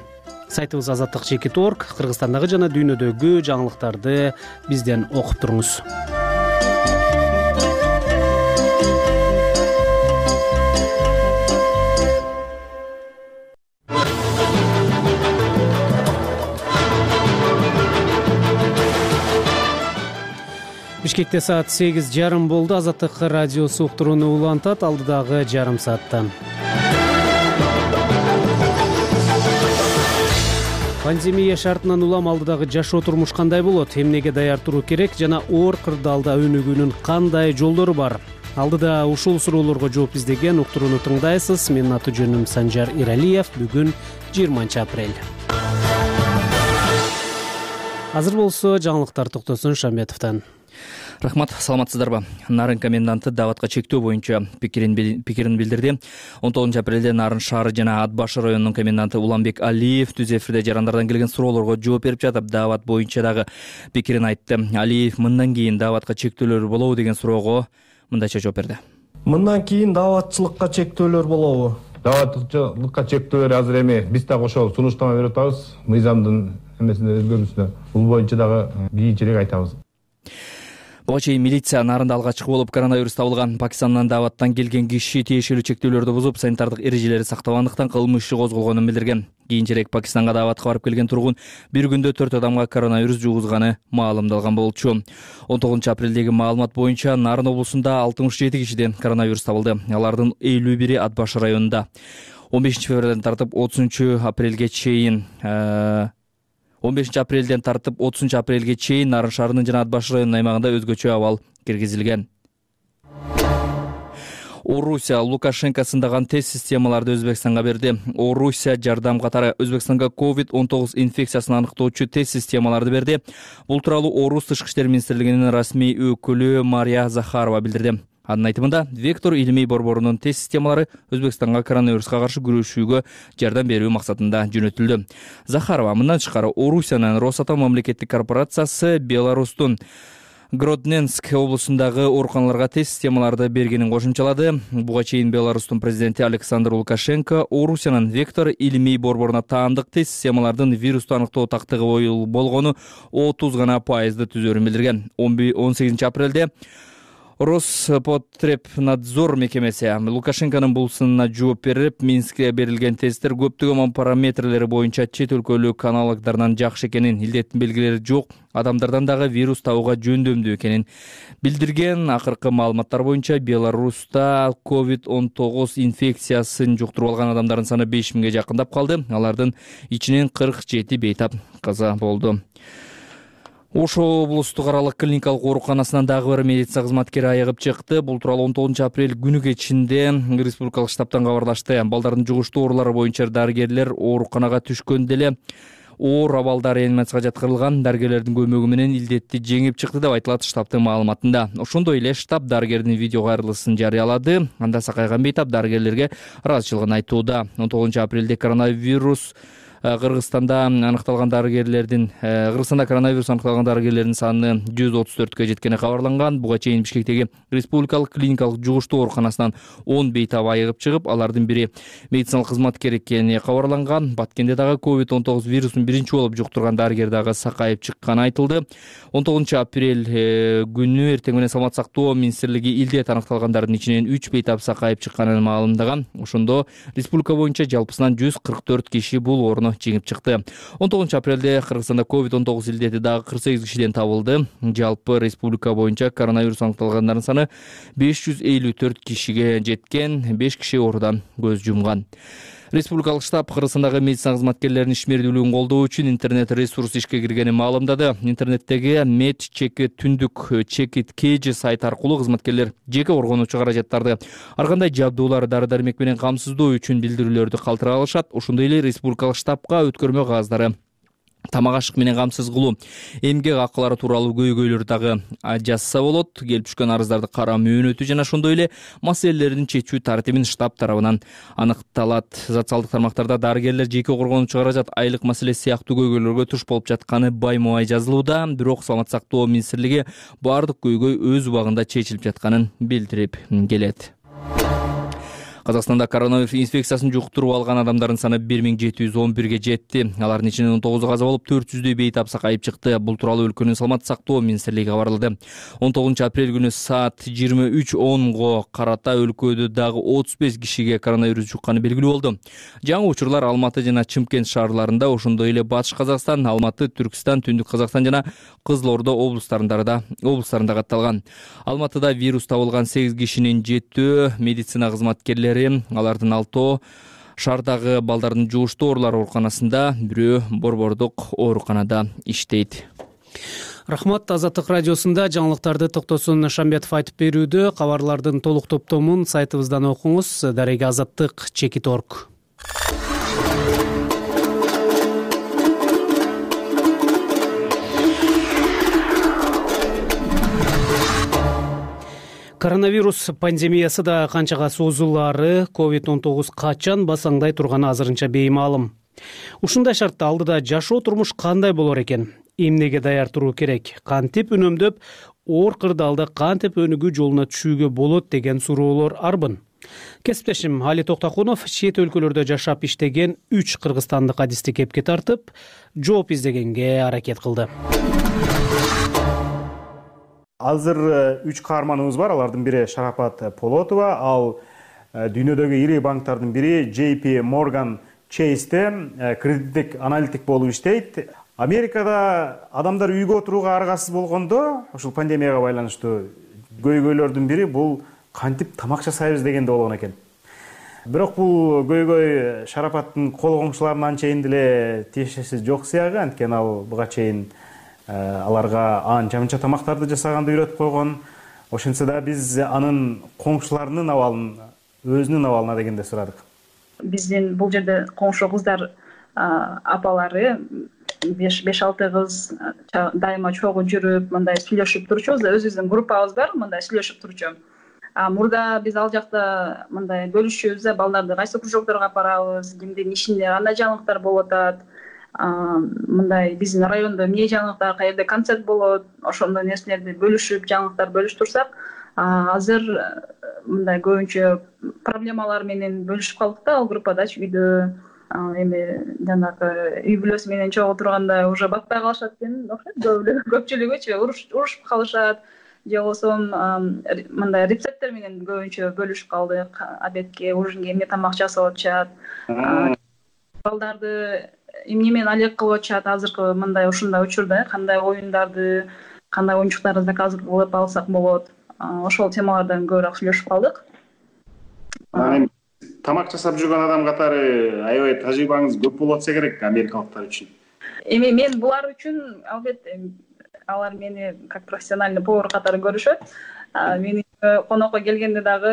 Сайтыбыз азаттык чекит точка орг, Кыргызстандагы жана дүйнөдөгү жаңылыктарды бизден окуп туруңуз. Бишкекте саат сегиз жарым болду. Азаттык радиосу уктурууну улантат алдыдагы жарым саатта. Пандемия шартынан улам алдыдагы жашоо турмуш кандай болот? Эмнеге даяр туруу керек жана оор кырдаалда өнүгүүнүн кандай жолдору бар? Алдыда ушул суроолорго жооп издеген уктурууну тыңдайсыз. Менин аты жөнүм Санжар Эралиев. Бүгүн жыйырманчы апрель. Азыр болсо жаңылыктар Токтосун Шамбетовдон. Рахмат, саламатсыздарбы? Нарын коменданты дааватка чектөө боюнча пикирин пикирин билдирди. он тогузунчу апрелде Нарын шаары жана Ат башы районунун коменданты Уланбек Алиев түз эфирде жарандардан келген суроолорго жооп берип жатып, даават боюнча дагы пикирин айтты. Алиев мындан кийин дааватка чектөөлөр болобу деген суроого мындайча жооп берди. Мындан кийин дааватчылыкка чектөөлөр болобу? Дааватчылыкка чектөөлөр азыр эми биз дагы ошол сунуштама берип атабыз. Мыйзамдын эмесине өзгөрүүсүнө бул боюнча дагы кийинчерээк айтабыз. Буга чейин милиция Нарында алгачкы болуп коронавирус табылган Пакистандан дааваттан келген киши тиешелүү чектөөлөрдү бузуп, санитардык эрежелери сактабагандыктан кылмыш иши козголгонун билдирген. Кийинчерээк Пакистанга дааватка барып келген тургун бир күндө төрт адамга коронавирус жугузганы маалымдалган болчу. он тогузунчу апрелдеги маалымат боюнча Нарын облусунда алтымыш жети кишиден коронавирус табылды. Алардын элүү бири Ат башы районунда. он бешинчи февралдан тартып отузунчу апрелге чейин он бешинчи апрелден тартып отузунчу апрелге чейин Нарын шаарынын жана Ат башы районунун аймагында өзгөчө абал киргизилген. Орусия Лукашенко сындаган тест системаларды Өзбекстанга берди. Орусия жардам катары Өзбекстанга ковид он тогуз инфекциясын аныктоочу тест системаларды берди. Бул тууралуу Орус тышкы иштер министрлигинин расмий өкүлү Мария Захарова билдирди. Анын айтымында, Вектор илимий борборунун тест системалары Өзбекстанга коронавируска каршы күрөшүүгө жардам берүү максатында жөнөтүлдү. Захарова мындан тышкары Орусиянын Росатом мамлекеттик корпорациясы Беларустун Гродненск облусундагы ооруканаларга тест системаларды бергенин кошумчалады. Буга чейин Беларустун президенти Александр Лукашенко Орусиянын Вектор илимий борборуна таандык тест системалардын вирусту аныктоо тактыгы болгону отуз гана пайызды түзөрүн билдирген. он сегизинчи апрелде Роспотребнадзор мекемеси Лукашенконун бул сынына жооп берип, Минскке берилген тесттер көптөгөн параметрлери боюнча чет өлкөлүк аналогдорунан жакшы экенин, илдеттин белгилери жок адамдардан дагы вирус табууга жөндөмдүү экенин билдирген. Акыркы маалыматтар боюнча Беларуста ковид он тогуз инфекциясын жуктуруп алган адамдардын саны беш миңге жакындап калды. Алардын ичинен кырк жети бейтап каза болду. Ошо облустук аралык клиникалык ооруканасынан дагы бир медицина кызматкери айыгып чыкты. Бул тууралуу он тогузунчу апрель күнү кечинде республикалык штабтан кабарлашты. Балдардын жугуштуу оорулары боюнча дарыгерлер ооруканага түшкөндө эле оор абалда реанимацияга жаткырылган. Дарыгерлердин көмөгү менен илдетти жеңип чыкты деп айтылат штабтын маалыматында. Ошондой эле штаб дарыгердин видео кайрылысын жарыялады. Анда сакайган бейтап дарыгерлерге ыраазычылыгын айтууда. он тогузунчу апрелде коронавирус Кыргызстанда аныкталган дарыгерлердин Кыргызстанда коронавирус аныкталган дарыгерлердин саны жүз отуз төрткө жеткени кабарланган. Буга чейин Бишкектеги республикалык клиникалык жугуштуу ооруканасынан он бейтап айыгып чыгып, алардын бири медициналык кызматкер экени кабарланган. Баткенде дагы ковид он тогуз вирусун биринчи болуп жуктурган дарыгер дагы сакайып чыкканы айтылды. он тогузунчу апрель күнү эртең менен саламат сактоо министрлиги илдет аныкталгандардын ичинен үч бейтап сакайып чыкканын маалымдаган. Ошондо республика боюнча жалпысынан жүз кырк төрт киши бул ооруна короону жеңип чыкты. он тогузунчу апрелде Кыргызстанда ковид он тогуз илдети дагы кырк сегиз кишиден табылды. Жалпы республика боюнча коронавирус аныкталгандардын саны беш жүз элүү төрт кишиге жеткен, беш киши оорудан көз жумган. Республикалык штаб Кыргызстандагы медицина кызматкерлеринин ишмердүүлүгүн колдоо үчүн интернет ресурс ишке киргенин маалымдады. Интернеттеги мед чеки түндүк чекит kg сайт аркылуу кызматкерлер жеке коргонуучу каражаттарды ар кандай жабдуулар, дары-дармек менен камсыздоо үчүн билдирүүлөрдү калтыра алышат. Ошондой эле республикалык штабка өткөрмө кагаздары, тамак ашык менен камсыз кылуу, эмгек акылары тууралуу көйгөйлөр дагы жазса болот. Келип түшкөн арыздарды карап мөөнөтү жана ошондой эле маселелердин чечүү тартибин штаб тарабынан аныкталат. Социалдык тармактарда дарыгерлер жеке коргонуучу каражат, айлык маселеси сыяктуу көйгөйлөргө туш болуп жатканы баймубай жазылууда. Бирок Саламаттык сактоо министрлиги баардык көйгөй өз убагында чечилип жатканын билдирип келет. Казакстанда коронавирус инфекциясын жуктуруп алган адамдардын саны бир миң жети жүз он бирге жетти. Алардын ичинен он тогузу каза болуп, төрт жүздөй бейтап сакайып чыкты. Бул тууралуу өлкөнүн Саламаттык сактоо министрлиги кабарлады. он тогузунчу апрель күнү саат жыйырма үч онго карата өлкөдө дагы отуз беш кишиге коронавирус жукканы белгилүү болду. Жаңы учурлар Алматы жана Чымкент шаарларында, ошондой эле Батыш Казакстан, Алматы, Түркстан, Түндүк Казакстан жана Кызыл Ордо облустарында да облустарында катталган. Алматыда вирус табылган сегиз кишинин жетөө медицина кызматкерлери, алардын алтоо шаардагы балдардын жугуштуу оорулар ооруканасында, бирөө Борбордук ооруканада иштейт. Рахмат. Азаттык радиосунда жаңылыктарды Токтосун Шамбетов айтып берүүдө. Кабарлардын толук топтомун сайтыбыздан окуңуз. Дареги азаттык чекит точка орг. Коронавирус пандемиясы да канчага созулаары, ковид он тогуз качан басаңдай турганы азырынча беймаалым. Ушундай шартта алдыда жашоо турмуш кандай болор экен? Эмнеге даяр туруу керек? Кантип үнөмдөп, оор кырдаалда кантип өнүгүү жолуна түшүүгө болот деген суроолор арбын. Кесиптешим Али Токтакунов чет өлкөлөрдө жашап иштеген үч кыргызстандык адисти кепке тартып, жооп издегенге аракет кылды. Азыр үч каарманыбыз бар. Алардын бири Шарапат Полотова, ал дүйнөдөгү ири банктардын бири Джей Пи Morgan Chase'те кредиттик аналитик болуп иштейт. Америкада адамдар үйгө отурууга аргасыз болгондо, ушул пандемияга байланыштуу көйгөйлөрдүн бири бул кантип тамак жасайбыз дегенде болгон экен. Бирок бул көйгөй Шарапаттын кол коңшуларынын анчейин деле тиешеси жок сыягы, анткени ал буга чейин аларга анча-мынча тамактарды жасаганды үйрөтүп койгон. Ошентсе да биз анын коңшуларынын абалын, өзүнүн абалына дегенде сурадык. Биздин бул жерде коңшу кыздар апалары беш алты кыз дайыма чогуу жүрүп, мындай сүйлөшүп турчубуз да, өзүбүздүн группабыз бар, мындай сүйлөшүп турчу. Мурда биз ал жакта мындай бөлүшүбүз да, балдарды кайсы кружокторго апарабыз, кимдин ишинде кандай жаңылыктар болуп атат, мындай биздин райондо эмне жаңылыктар, каерде концерт болот, ошондой нерселерди бөлүшүп, жаңылыктар бөлүштүрсак, азыр мындай көбүнчө проблемалар менен бөлүшүп калдык да, ал группадачы үйдө эми жанагы үй бүлөсү менен чогуу турганда уже батпай калышат экен окшойт. Көпчүлүгүчү урушуп калышат, же болбосо мындай рецепттер менен көбүнчө бөлүшүп калдык. Обедке, ужинге эмне тамак жасап атышат, балдарды эмне менен алек кылып атышат. Азыркы мындай ушундай учурда кандай оюндарды, кандай оюнчуктарды заказ кылып алсак болот, ошол темалардан көбүрөөк сүйлөшүп калдык. Тамак жасап жүргөн адам катары аябай тажрыйбаңыз көп болуп атса керек америкалыктар үчүн. Эми мен булар үчүн албетте алар мени как профессиональный повар катары көрүшөт. Мени конокко келгенде дагы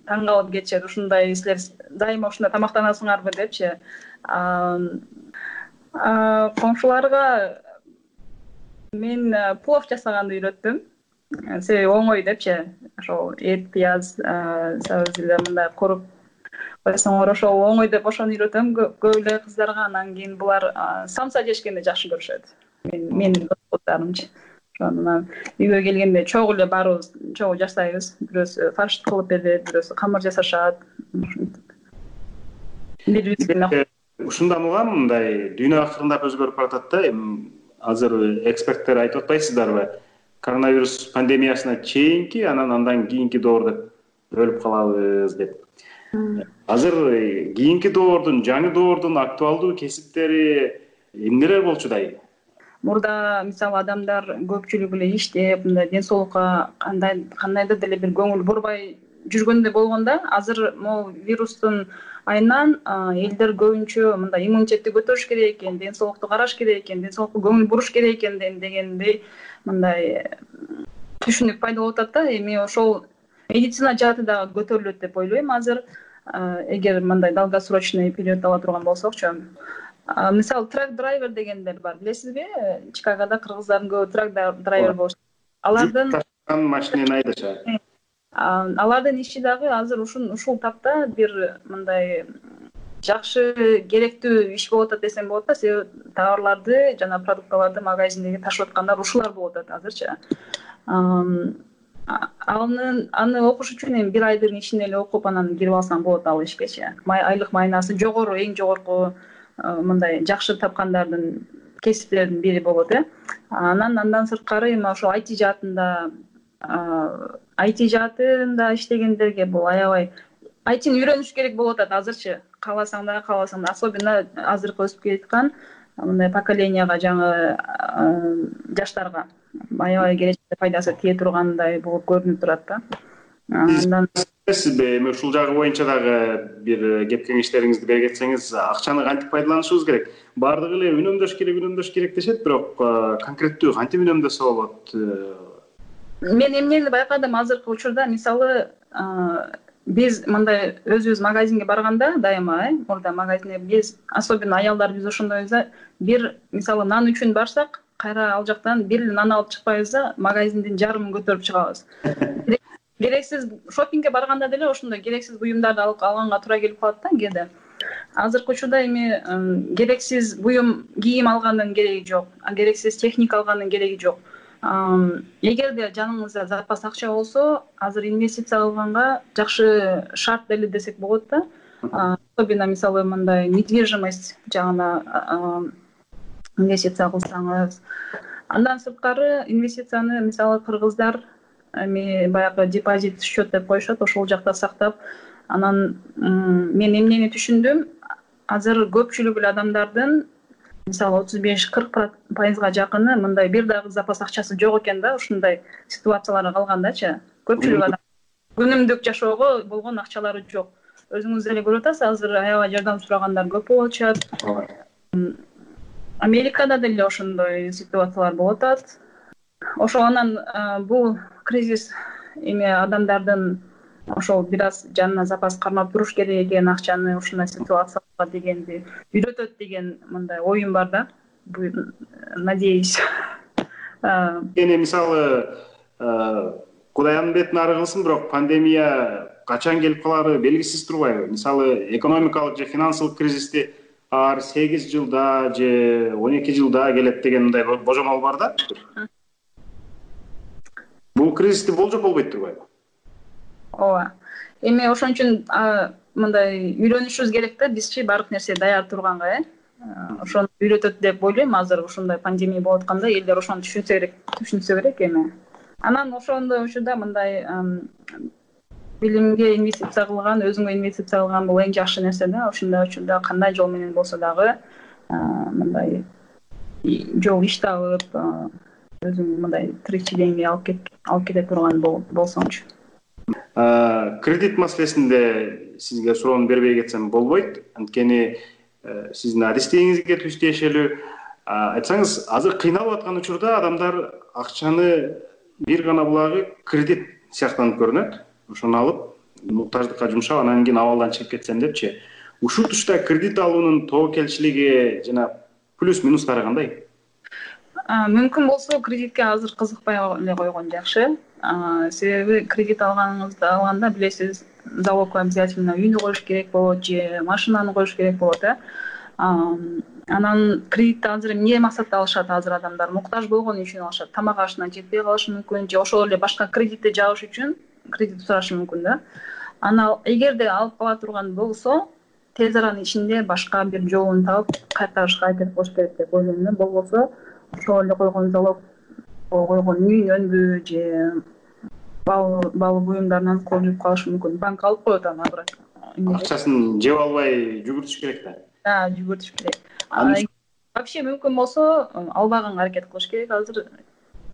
таң калып кетишет. Ушундай силер дайыма ушундай тамактанасыңарбы депчи. Коңшуларга мен плов жасаганды үйрөттүм. Себеби оңой депчи. Ошол эт, пияз, сабызды мындай коруп койсоңор ошол оңой деп ошону үйрөтөм көп эле кыздарга. Анан кийин булар самса жешкенди жакшы көрүшөт. Мен менин досторумчу. Ошондон үйгө келгенде чогуу эле баарыбыз чогуу жасайбыз. Бирөөсү фарш кылып берет, бирөөсү камыр жасашат. Ушундан улам мындай дүйнө акырындап өзгөрүп баратат да. Азыр эксперттер айтып атпайсыздарбы? Коронавирус пандемиясына чейинки, анан андан кийинки доор деп бөлүп калабыз деп. азыр кийинки доордун, жаңы доордун актуалдуу кесиптери эмнелер болчудай? Мурда мисалы адамдар көпчүлүгү эле иштеп, мындай ден соолукка кандай кандайдыр деле бир көңүл бурбай жүргөндө болгондо, азыр могу вирустун айынан элдер көбүнчө мындай иммунитетти көтөрүш керек экен, ден соолукту караш керек экен, ден соолукка көңүл буруш керек экен дегендей мындай түшүнүк пайда болуп атат да. Эми ошол медицина жааты дагы көтөрүлөт деп ойлойм азыр, эгер мындай долгосрочный период ала турган болсокчу. Мисалы трак драйвер дегендер бар, билесизби? Чикагода кыргыздардын көбү трак драйвер болуш. Алардын машинени айдашат. Алардын иши дагы азыр ушул тапта бир мындай жакшы керектүү иш болуп атат десем болот да. Себеби товарларды жана продукталарды магазиндеги ташып аткандар ушулар болуп атат азырчы. Аны аны окуш үчүн эми бир айдын ичинде эле окуп анан кирип алсаң болот ал ишкечи. Айлык майнасы жогору, эң жогорку мындай жакшы тапкандардын кесиптердин бири болот э. Анан андан сырткары эми ошо ай ти жаатында ай ти жаатында иштегендерге бул аябай ай тини үйрөнүш керек болуп атат азырчы. Кааласаң да, кааласаң да, особенно азыркы өсүп келаткан мындай поколенияга, жаңы жаштарга аябай келечекте пайдасы тие тургандай болуп көрүнүп турат да. Андан сизби эми ушул жагы боюнча дагы бир кеп кеңештериңизди бере кетсеңиз, акчаны кантип пайдаланышыбыз керек? Баардыгы эле үнөмдөш керек, үнөмдөш керек дешет, бирок конкреттүү кантип үнөмдөсө болот? Мен эмнени байкадым азыркы учурда, мисалы биз мындай өзүбүз магазинге барганда дайыма, э, мурда магазинге биз, особенно аялдар биз ошондойбуз да, бир мисалы нан үчүн барсак, кайра ал жактан бир эле нан алып чыкпайбыз да, магазиндин жарымын көтөрүп чыгабыз. Керексиз шопингге барганда деле ошондой керексиз буюмдарды алып алганга туура келип калат да кээде. Азыркы учурда эми керексиз буюм, кийим алгандын кереги жок, керексиз техника алгандын кереги жок. Эгерде жаныңызда запас акча болсо, азыр инвестиция кылганга жакшы шарт деле десек болот да. Особенно мисалы мындай недвижимость жагына инвестиция кылсаңыз. Андан сырткары инвестицияны мисалы кыргыздар эми баягы депозит счет деп коюшат, ошол жакта сактап, анан мен эмнени түшүндүм, азыр көпчүлүк эле адамдардын мисалы отуз беш кырк пайызга жакыны мындай бир дагы запас акчасы жок экен да, ушундай ситуацияларга калгандачы. Көпчүлүк адам күнүмдүк жашоого болгон акчалары жок. Өзүңүз деле көрүп атасыз, азыр аябай жардам сурагандар көп болуп атышат. Америкада деле ошондой ситуациялар болуп атат. Ошол анан бул кризис эми адамдардын ошол бир аз жанына запас кармап туруш керек экен, акчаны ушундай ситуацияга дегенди үйрөтөт деген мындай оюм бар да. Надеюсь. Эми мисалы Кудайдын бетин ары кылсын, бирок пандемия качан келип калары белгисиз турбайбы? Мисалы экономикалык же финансылык кризисти ар сегиз жылда же он эки жылда келет деген мындай божомол бар да. Бул кризисти болжоп болбойт турбайбы? Ооба. Эми ошон үчүн мындай үйрөнүшүбүз керек да, бизчи баардык нерсе даяр турганга, э. Ошону үйрөтөт деп ойлойм. Азыр ушундай пандемия болуп атканда элдер ошону түшүнсө керек, түшүнсө керек эми. Анан ошондой учурда мындай билимге инвестиция кылган, өзүңө инвестиция кылган бул эң жакшы нерсе да. Ошондой учурда кандай жол менен болсо дагы мындай жол иш табып, өзүң мындай тиричилигиңди алып кет алып кете турган болсоңчу. Кредит маселесинде сизге суроону бербей кетсем болбойт. Анткени сиздин адистигиңизге түз тиешелүү. Айтсаңыз, азыр кыйналып аткан учурда адамдар акчаны бир гана булагы кредит сыяктанып көрүнөт. Ошону алып, муктаждыкка жумшап, анан кийин абалдан чыгып кетсем депчи. Ушул тушта кредит алуунун тобокелчилиги жана плюс минустары кандай? Мүмкүн болсо кредитке азыр кызыкпай эле койгон жакшы. Себеби кредит алганыңызды алганда билесиз, залог обязательно үйдү коюш керек болот же машинаны коюш керек болот, э. Анан кредитти азыр эмне максатта алышат азыр адамдар? Муктаж болгон үчүн алышат. Тамак ашына жетпей калышы мүмкүн же ошол эле башка кредитти жабыш үчүн кредит сурашы мүмкүн да. Аны эгерде алып кала турган болсо, тез аранын ичинде башка бир жолун таап кайтарышка аракет кылыш керек деп ойлойм да. Болбосо ошол эле койгон залог койгон үйүнөнбү же бал бал буюмдарынан кол жууп калышы мүмкүн. Банк алып коет аны, бирок акчасын жеп албай жүгүртүш керек да. Жүгүртүш керек. Вообще мүмкүн болсо албаганга аракет кылыш керек азыр.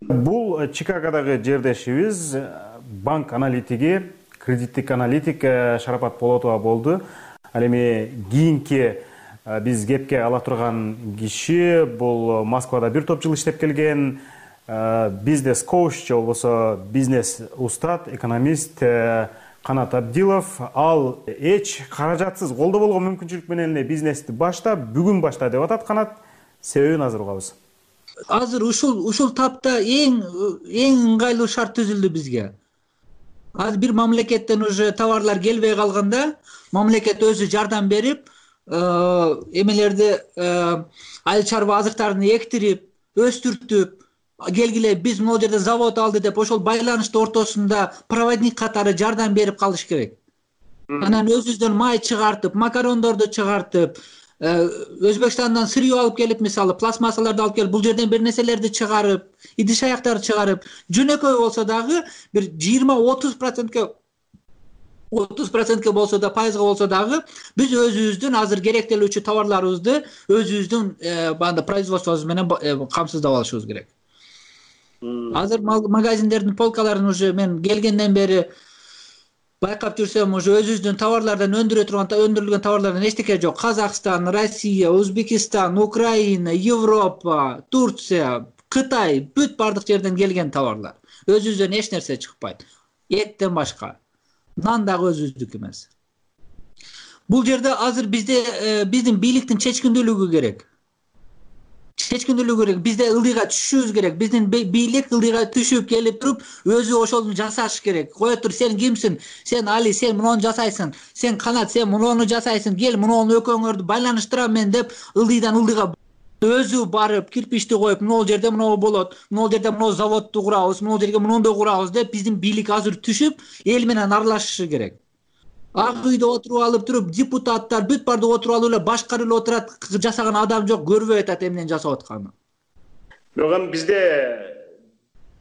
Бул Чикагодогу жердешибиз банк аналитиги, кредиттик аналитик Шарапат Полотова болду. Ал эми кийинки биз кепке ала турган киши бул Москвада бир топ жыл иштеп келген, бизнес коуч же болбосо бизнес устат, экономист Канат Абдилов. Ал эч каражатсыз колдо болгон мүмкүнчүлүк менен эле бизнести башта, бүгүн башта деп атат Канат. Себебин азыр угабыз. Азыр ушул ушул тапта эң эң ыңгайлуу шарт түзүлдү бизге. Азыр бир мамлекеттен уже товарлар келбей калганда, мамлекет өзү жардам берип, эмелерди айыл чарба азыктарын эктирип, өстүртүп, келгиле биз могул жерде завод алды деп ошол байланыштын ортосунда проводник катары жардам берип калыш керек. Анан өзүбүздөн май чыгартып, макарондорду чыгартып, Өзбекстандан сырье алып келип, мисалы пластмассаларды алып келип, бул жерден бир нерселерди чыгарып, идиш аяктарды чыгарып, жөнөкөй болсо дагы бир жыйырма отуз процентке отуз процентке болсо да, пайызга болсо дагы биз өзүбүздүн азыр керектелүүчү товарларыбызды өзүбүздүн банда производствобуз менен камсыздап алышыбыз керек. Азыр магазиндердин полкаларын уже мен келгенден бери байкап жүрсөм, уже өзүбүздүн товарлардан өндүрө турган, өндүрүлгөн товарлардан эчтеке жок. Казакстан, Россия, Өзбекстан, Украина, Европа, Турция, Кытай, бүт бардык жерден келген товарлар. Өзүбүздөн эч нерсе чыкпайт. Эттен башка. Нан дагы өзүбүздүкү эмес. Бул жерде азыр бизде биздин бийликтин чечкиндүүлүгү керек. Чечкиндүүлүгү керек. Бизде ылдыйга түшүшүбүз керек. Биздин бийлик ылдыйга түшүп келип туруп, өзү ошону жасаш керек. Кое тур, сен кимсиң? Сен Али, сен муну жасайсың. Сен Канат, сен муну жасайсың. Кел, муну экөөңөрдү байланыштырам мен деп ылдыйдан ылдыйга өзү барып, кирпичти коюп, муну жерде муну болот, муну жерде муну заводду курабыз, муну жерге мунунду курабыз деп биздин бийлик азыр түшүп, эл менен аралашышы керек. Ак үйдө отуруп алып туруп, депутаттар бүт бардык отуруп алып эле башкарып эле отурат, жасаган адам жок, көрбөй атат эмнени жасап атканын. Бирок эми бизде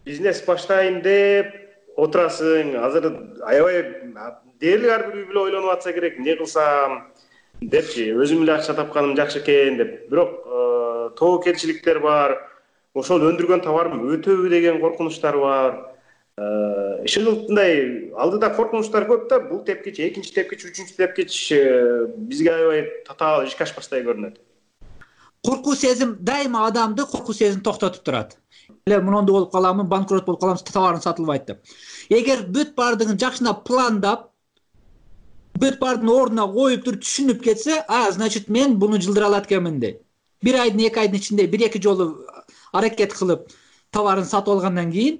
бизнес баштайын деп отурасың, азыр аябай дээрлик ар бир үй бүлө ойлонуп атса керек, эмне кылсам депчи, өзүм эле акча тапканым жакшы экен деп. Бирок тобокелчиликтер бар, ошол өндүргөн товарым өтөбү деген коркунучтар бар. Ушундай алдыда коркунучтар көп да, бул тепкич, экинчи тепкич, үчүнчү тепкич бизге аябай татаал ишке ашпаштай көрүнөт. Коркуу сезим дайыма адамды коркуу сезим токтотуп турат. Эле мунунду болуп каламын, банкрот болуп калам, товарым сатылбайт деп. Эгер бүт бардыгын жакшынап пландап, бүт бардыгын ордуна коюп туруп түшүнүп кетсе, а, значит мен буну жылдыра алат экенмин дейт. Бир айдын, эки айдын ичинде бир-эки жолу аракет кылып товарын сатып алгандан кийин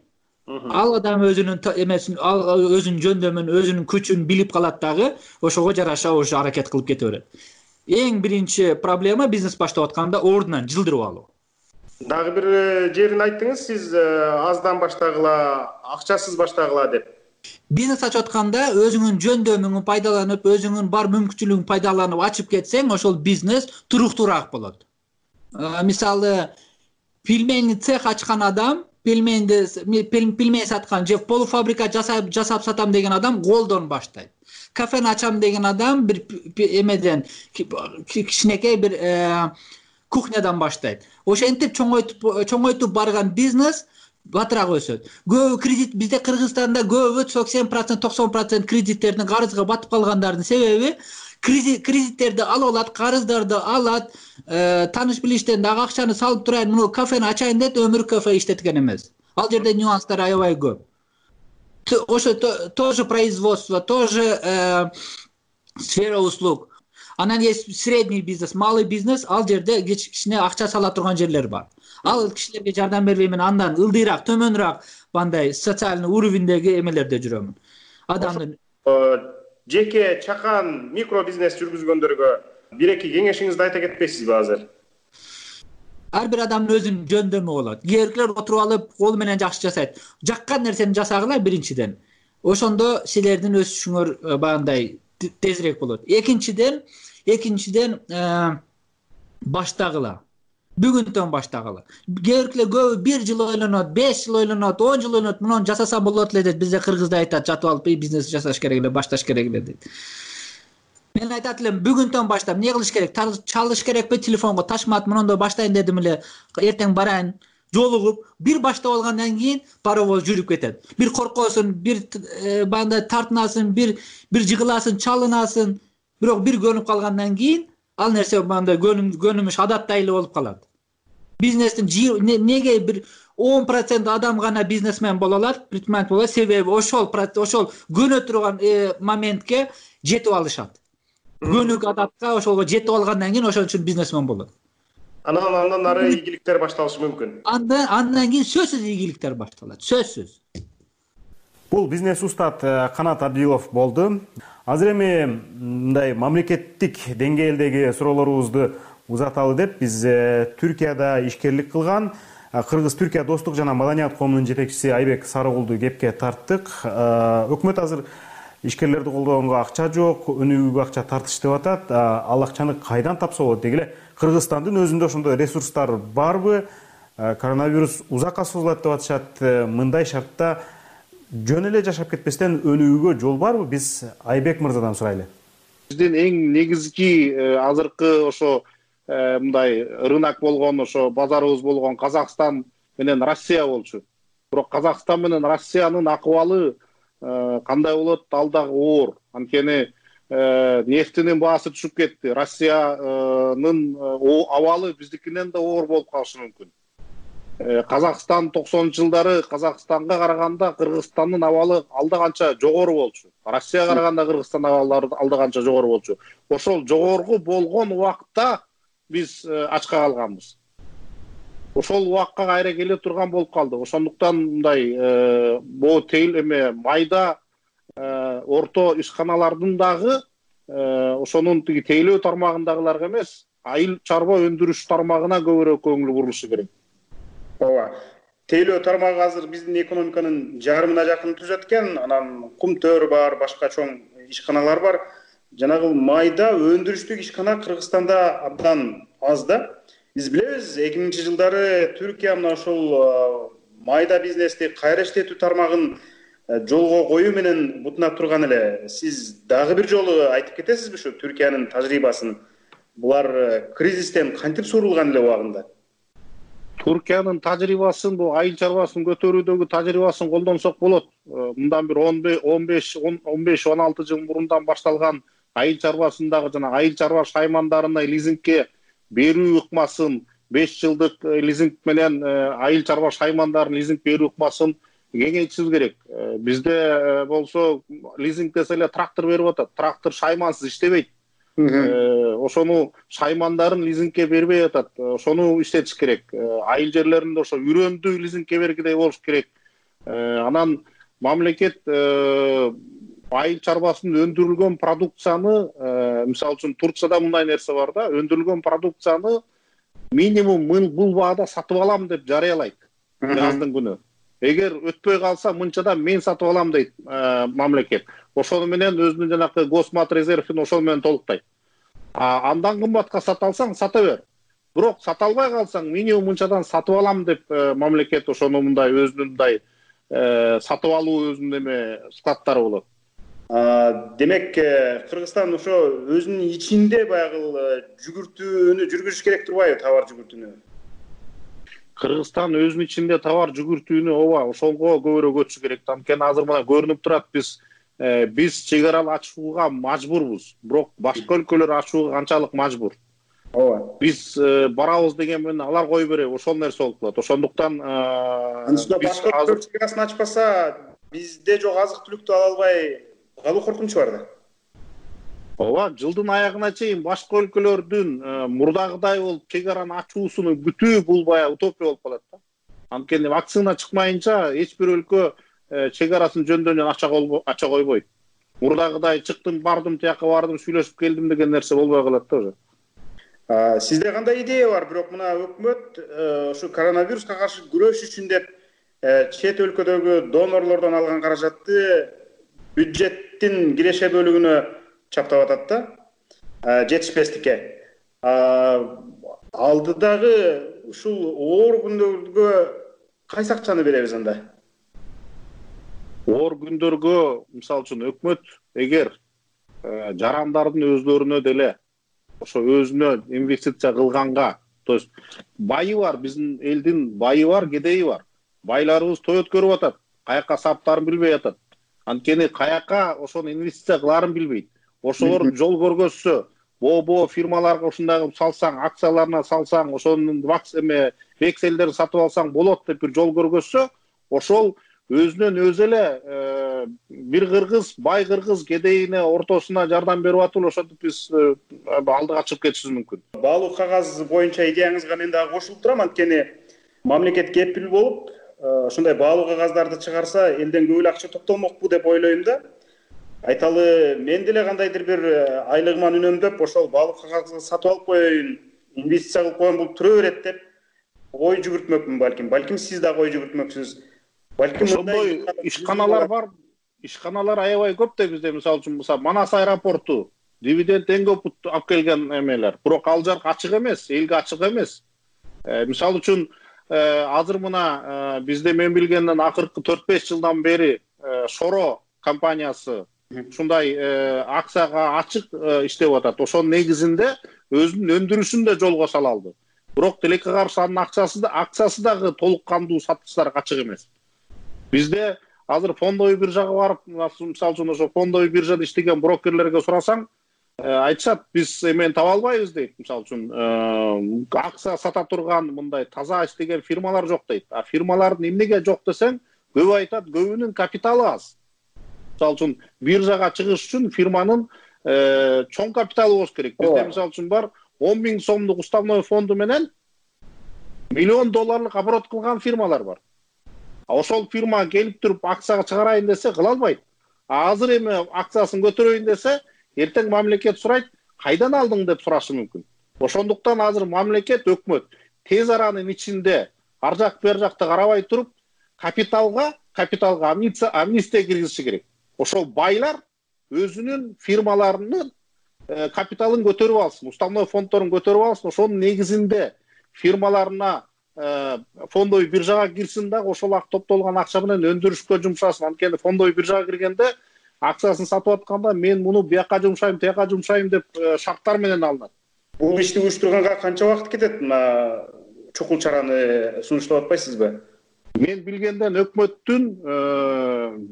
ал адам өзүнүн эмесин, өзүнүн жөндөмүн, өзүнүн күчүн билип калат дагы, ошого жараша уже аракет кылып кете берет. Эң биринчи проблема бизнес баштап атканда ордунан жылдырып алуу. Дагы бир жерин айттыңыз, сиз аздан баштагыла, акчасыз баштагыла деп. Бизнес ачып атканда өзүңүн жөндөмүңүн пайдаланып, өзүңүн бар мүмкүнчүлүгүн пайдаланып ачып кетсең, ошол бизнес туруктуураак болот. Мисалы, пельмени цех ачкан адам, пельменди пельмени саткан же полуфабрикат жасап жасап сатам деген адам голдон баштайт. Кафени ачам деген адам бир эмеден кичинекей бир кухнядан баштайт. Ошентип чоңойтуп чоңойтуп барган бизнес батыраак өсөт. Көбү кредит, бизде Кыргызстанда көбү сексен процент, токсон процент кредиттердин карызга батып калгандардын себеби кредиттерди алып алат, карыздарды алат, тааныш билиштен дагы акчаны салып турайын, муну кафени ачайын деп өмүр кафе иштеткен эмес. Ал жерде нюанстар аябай көп. Ошо тоже производство, тоже сфера услуг. Анан есть средний бизнес, малый бизнес, ал жерде кичине акча сала турган жерлер бар. Ал кишилерге жардам бербеймин, андан ылдыйраак, төмөнүрөөк бандай социальный уровеньдеги эмелерде жүрөмүн. Адамдын жеке чакан микро бизнес жүргүзгөндөргө бир-эки кеңешиңизди айта кетпейсизби азыр? Ар бир адамдын өзүнүн жөндөмү болот. Кээбиркилер отуруп алып, колу менен жакшы жасайт. Жаккан нерсени жасагыла биринчиден. Ошондо силердин өсүшүңөр багындай тезирээк болот. Экинчиден, экинчиден баштагыла. Бүгүнтөн баштагыла. Кээбиркилер көбү бир жыл ойлонот, беш жыл ойлонот, он жыл ойлонот, муну жасасам болот эле дейт. Бизде Кыргызда айтат, жатып алып бизнес жасаш керек эле, башташ керек эле дейт. Мен айтат элем бүгүндөн баштап эмне кылыш керек? Чалыш керекпи телефонго? Ташмат мындай баштайын дедим эле. Эртең барайын. Жолугуп, бир баштап алгандан кийин паровоз жүрүп кетет. Бир коркосун, бир бандай тартынасын, бир бир жыгыласын, чалынасын. Бирок бир көнүп калгандан кийин ал нерсе мындай көнүмүш адаттай эле болуп калат. Бизнестин неге бир он процент адам гана бизнесмен боло алат, предприниматель боло алат, себеби ошол ошол көнө турган моментке жетип алышат. Көнүк адатка ошолго жетип алгандан кийин ошон үчүн бизнесмен болот. Анан андан ары ийгиликтер башталышы мүмкүн. Андан андан кийин сөзсүз ийгиликтер башталат. Сөзсүз. Бул бизнес устат Канат Абдилов болду. Азыр эми мындай мамлекеттик деңгээлдеги суроолорубузду узаталы деп биз Түркияда ишкерлик кылган Кыргыз-Түркия достук жана маданият коомунун жетекчиси Айбек Сарыгулду кепке тарттык. Өкмөт азыр ишкерлерди колдогонго акча жок, өнүгүүгө акча тартыш деп атат. Ал акчаны кайдан тапса болот дегиле? Кыргызстандын өзүндө ошондой ресурстар барбы? Коронавирус узакка созулат деп атышат. Мындай шартта жөн эле жашап кетпестен өнүгүүгө жол барбы? Биз Айбек мырзадан сурайлы. Биздин эң негизги азыркы ошо мындай рынок болгон, ошо базарыбыз болгон Казакстан менен Россия болчу. Бирок Казакстан менен Россиянын акыбалы кандай болот? Ал дагы оор. Анткени нефтинин баасы түшүп кетти. Россиянын абалы биздикинен да оор болуп калышы мүмкүн. Казакстан токсонунчу жылдары Казакстанга караганда Кыргызстандын абалы алда канча жогору болчу. Россияга караганда Кыргызстан абалдары алда канча жогору болчу. Ошол жогору болгон убакта биз ачка калганбыз. Ошол убакка кайра келе турган болуп калды. Ошондуктан мындай бул тейл эме майда орто ишканалардын дагы ошонун тиги тейлөө тармагындагыларга эмес, айыл чарба өндүрүш тармагына көбүрөөк көңүл бурулушу керек. Ооба. Тейлөө тармагы азыр биздин экономиканын жарымына жакын түзөт экен. Анан Кумтөр бар, башка чоң ишканалар бар. Жанагы майда өндүрүштүк ишкана Кыргызстанда абдан аз да. Биз билебиз, эки миңинчи жылдары Түркия мына ошол майда бизнести кайра иштетүү тармагын жолго коюу менен бутунап турган эле. Сиз дагы бир жолу айтып кетесизби ушу Түркиянын тажрыйбасын? Булар кризистен кантип сурулган эле убагында? Түркиянын тажрыйбасын, бул айыл чарбасын көтөрүүдөгү тажрыйбасын колдонсок болот. Мындан бир он беш он алты жыл мурундан башталган айыл чарбасындагы жана айыл чарба шаймандарына лизингке берүү ыкмасын, беш жылдык лизинг менен айыл чарба шаймандарын лизинг берүү ыкмасын кеңейтишибиз керек. Бизде болсо лизинг десе эле трактор берип атат. Трактор шаймансыз иштебейт. Ошону шаймандарын лизингке бербей атат. Ошону иштетиш керек. Айыл жерлеринде ошо үрөндү лизингке бергидей болуш керек. Анан мамлекет айыл чарбасынын өндүрүлгөн продукцияны, мисалы үчүн Турцияда мындай нерсе бар да, өндүрүлгөн продукцияны минимум бул баада сатып алам деп жарыялайт жаздын күнү. Эгер өтпөй калса мынчада мен сатып алам дейт мамлекет. Ошону менен өзүнүн жанакы госмат резервин ошол менен толуктайт. Андан кымбатка сата алсаң сата бер. Бирок сата албай калсаң минимум мынчадан сатып алам деп мамлекет ошону мындай өзүнүн мындай сатып алуу өзүнүн эме складдары болот. Демек, Кыргызстан ошо өзүнүн ичинде баягы жүгүртүүнү жүргүзүш керек турбайбы, товар жүгүртүүнү? Кыргызстан өзүнүн ичинде товар жүгүртүүнү ооба ошолго көбүрөөк өтүшү керек. Анткени азыр мына көрүнүп турат, биз биз чек ара ачууга мажбурбуз. Бирок башка өлкөлөр ачууга канчалык мажбур? Ооба. Биз барабыз деген менен алар кое береби, ошол нерсе болуп калат. Ошондуктан биз азыр чек арасын ачпаса, бизде жок азык-түлүктү ала албай калуу коркунучу бар да. Ооба, жылдын аягына чейин башка өлкөлөрдүн мурдагыдай болуп чек араны ачуусунун бүтүү бул баягы утопия болуп калат да. Анткени вакцина чыкмайынча эч бир өлкө чек арасын жөндөн ача койбойт. Мурдагыдай чыктым, бардым, тияка бардым, сүйлөшүп келдим деген нерсе болбой калат да уже. Сизде кандай идея бар? Бирок мына өкмөт ушу коронавируска каршы күрөш үчүн деп чет өлкөдөгү донорлордон алган каражатты бюджеттин киреше бөлүгүнө чаптап атат да, жетишпестикке. Алдыдагы ушул оор күндөргө кайсы акчаны беребиз анда? Оор күндөргө, мисалы үчүн, өкмөт эгер жарандардын өздөрүнө деле ошо өзүнө инвестиция кылганга, то есть байы бар, биздин элдин байы бар, кедейи бар. Байларыбыз той өткөрүп атат, каяка саптарын билбей атат. Анткени каяка ошону инвестиция кыларын билбейт. Ошолор жол көргөзсө, боо-боо фирмаларга ушундай салсаң, акцияларына салсаң, ошонун эме векселдерин сатып алсаң болот деп бир жол көргөзсө, ошол өзүнөн өзү эле бир кыргыз, бай кыргыз кедейине ортосуна жардам берип атып, ошентип биз алдыга чыгып кетишибиз мүмкүн. Баалуу кагаз боюнча идеяңызга мен дагы кошулуп турам, анткени мамлекет кепил болуп ушундай баалуу кагаздарды чыгарса, элден көп эле акча топтолмокпу деп ойлойм да. Айталы, мен деле кандайдыр бир айлыгыман үнөмдөп, ошол баалуу кагазды сатып алып коеюн, инвестиция кылып коеюн, бул түрө берет деп ой жүгүртмөкмүн балким. Балким сиз дагы ой жүгүртмөксүз. Балким ошондой ишканалар бар. Ишканалар аябай көп да бизде. Мисалы үчүн Манас аэропорту дивиденд эң көп алып келген эмелер. Бирок ал жак ачык эмес, элге ачык эмес. Мисалы үчүн азыр мына бизде мен билгенден акыркы төрт беш жылдан бери Шоро компаниясы ушундай акцияга ачык иштеп атат. Ошонун негизинде өзүнүн өндүрүшүн да жолго сала алды. Бирок тилекке каршы анын акчасы да акциясы дагы толук кандуу сатыштарга ачык эмес. Бизде азыр фондовый биржага барып, мисалы үчүн ошо фондовый биржада иштеген брокерлерге сурасаң, айтышат, биз эмени таба албайбыз дейт. Мисалы үчүн акция сата турган мындай таза иштеген фирмалар жок дейт. А фирмалардын эмнеге жок десең, көбү айтат, көбүнүн капиталы аз. Мисалы үчүн биржага чыгыш үчүн фирманын чоң капиталы болуш керек. Бизде мисалы үчүн бар он миң сомдук уставной фонду менен миллион долларлык оборот кылган фирмалар бар. А ошол фирма келип туруп акцияга чыгарайын десе кыла албайт. А азыр эми акциясын көтөрөйүн десе, эртең мамлекет сурайт, кайдан алдың деп сурашы мүмкүн. Ошондуктан азыр мамлекет, өкмөт тез аранын ичинде ар жак бер жакты карабай туруп, капиталга, капиталга амнистия киргизиши керек. Ошол байлар өзүнүн фирмаларынын капиталын көтөрүп алсын, уставной фонддорун көтөрүп алсын, ошонун негизинде фирмаларына фондовый биржага кирсин да, ошол ак топтолгон акча менен өндүрүшкө жумшасын. Анткени фондовый биржага киргенде акциясын сатып атканда мен муну бияка жумшайм, тияка жумшайм деп шарттар менен алынат. Бул ишти уюштурганга канча убакыт кетет? Мына чукул чараны сунуштап атпайсызбы? Мен билгенден өкмөттүн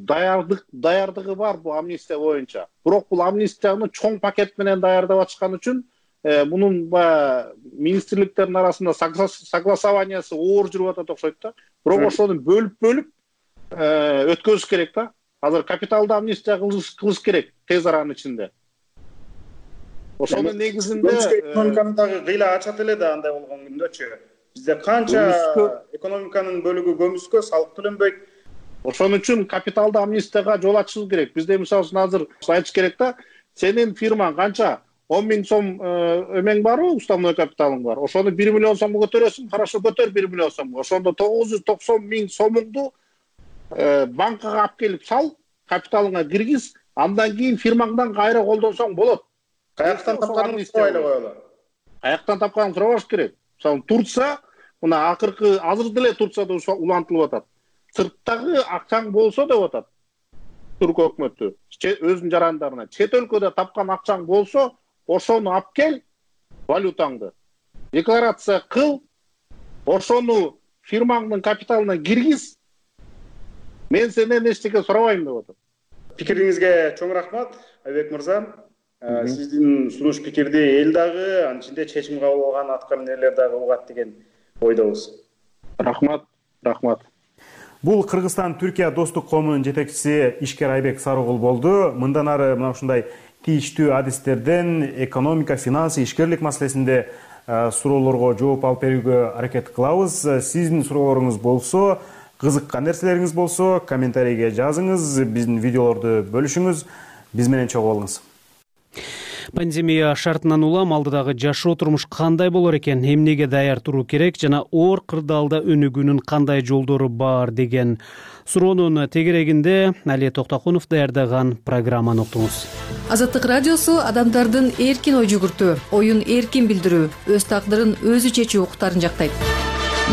даярдык даярдыгы бар бул амнистия боюнча. Бирок бул амнистияны чоң пакет менен даярдап атышкан үчүн мунун баягы министрликтердин арасында согласованиясы оор жүрүп атат окшойт да. Бирок ошону бөлүп-бөлүп өткөзүш керек да. Азыр капиталды амнистия кылыш керек тез аранын ичинде. Ошонун негизинде экономиканы дагы кыйла ачат эле да андай болгон күндөчү. Бизде канча экономиканын бөлүгү көмүскө, салык төлөнбөйт. Ошон үчүн капиталды амнистияга жол ачышыбыз керек. Бизде мисалы үчүн азыр айтыш керек да, сенин фирмаң канча он миң сом эмең барбы, уставной капиталың бар. Ошону бир миллион сомго көтөрөсүң, хорошо көтөр бир миллион сомго. Ошондо тогуз жүз токсон миң сомуңду банкага алып келип сал, капиталыңа киргиз, андан кийин фирмаңдан кайра колдонсоң болот. Каяктан тапканыңды сурабайлы коелу. Каяктан тапканыңды сурабаш керек. Мисалы Турция, мына акыркы азыр деле Турцияда улантылып атат. Сырттагы акчаң болсо деп атат. Түрк өкмөтү өзүнүн жарандарына чет өлкөдө тапкан акчаң болсо, ошону алып кел, валютаңды декларация кыл, ошону фирмаңдын капиталына киргиз. Мен сенден эчтеке сурабайм деп атат. Пикириңизге чоң рахмат, Айбек мырза. Сиздин сунуш пикирди эл дагы, анын ичинде чечим кабыл алган атка минерлер дагы угат деген ойдобуз. Рахмат, рахмат. Бул Кыргызстан Түркия достук коомунун жетекчиси Ишкер Айбек Сарыгул болду. Мындан ары мына ушундай тийиштүү адистерден экономика, финансы, ишкерлик маселесинде суроолорго жооп алып берүүгө аракет кылабыз. Сиздин суроолоруңуз болсо, кызыккан нерселериңиз болсо, комментарийге жазыңыз, биздин видеолорду бөлүшүңүз, биз менен чогуу болуңуз. Пандемия шартынан улам алдыдагы жашоо турмуш кандай болор экен, эмнеге даяр туруу керек жана оор кырдаалда өнүгүүнүн кандай жолдору бар деген суроонун тегерегинде Алия Токтокунов даярдаган программаны уктуңуз. Азаттык радиосу адамдардын эркин ой жүгүртүү, оюн эркин билдирүү, өз тагдырын өзү чечүү укуктарын жактайт.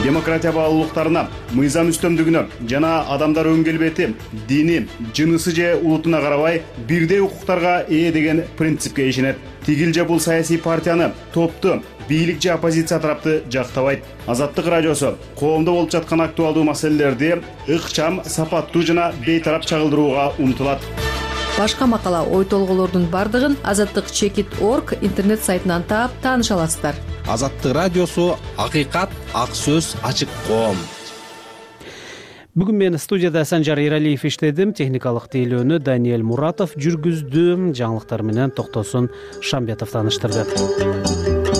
демократия баалуулуктарына, мыйзам үстөмдүгүнө жана адамдар өң келбети, дини, жынысы же улутуна карабай бирдей укуктарга ээ деген принципке ишенет. Тигил же бул саясий партияны, топту, бийлик же оппозиция тарапты жактабайт. Азаттык радиосу коомдо болуп жаткан актуалдуу маселелерди ыкчам, сапаттуу жана бейтарап чагылдырууга умтулат. Башка макала, ой толгоолордун бардыгын азаттык чекит точка орг интернет сайтынан таап тааныша аласыздар. Азаттык радиосу акыйкат, ак сөз, ачык коом. Бүгүн мен студияда Санжар Эралиев иштедим, техникалык тейлөөнү Даниэль Муратов жүргүздү, жаңылыктар менен Токтосун Шамбетов тааныштырды.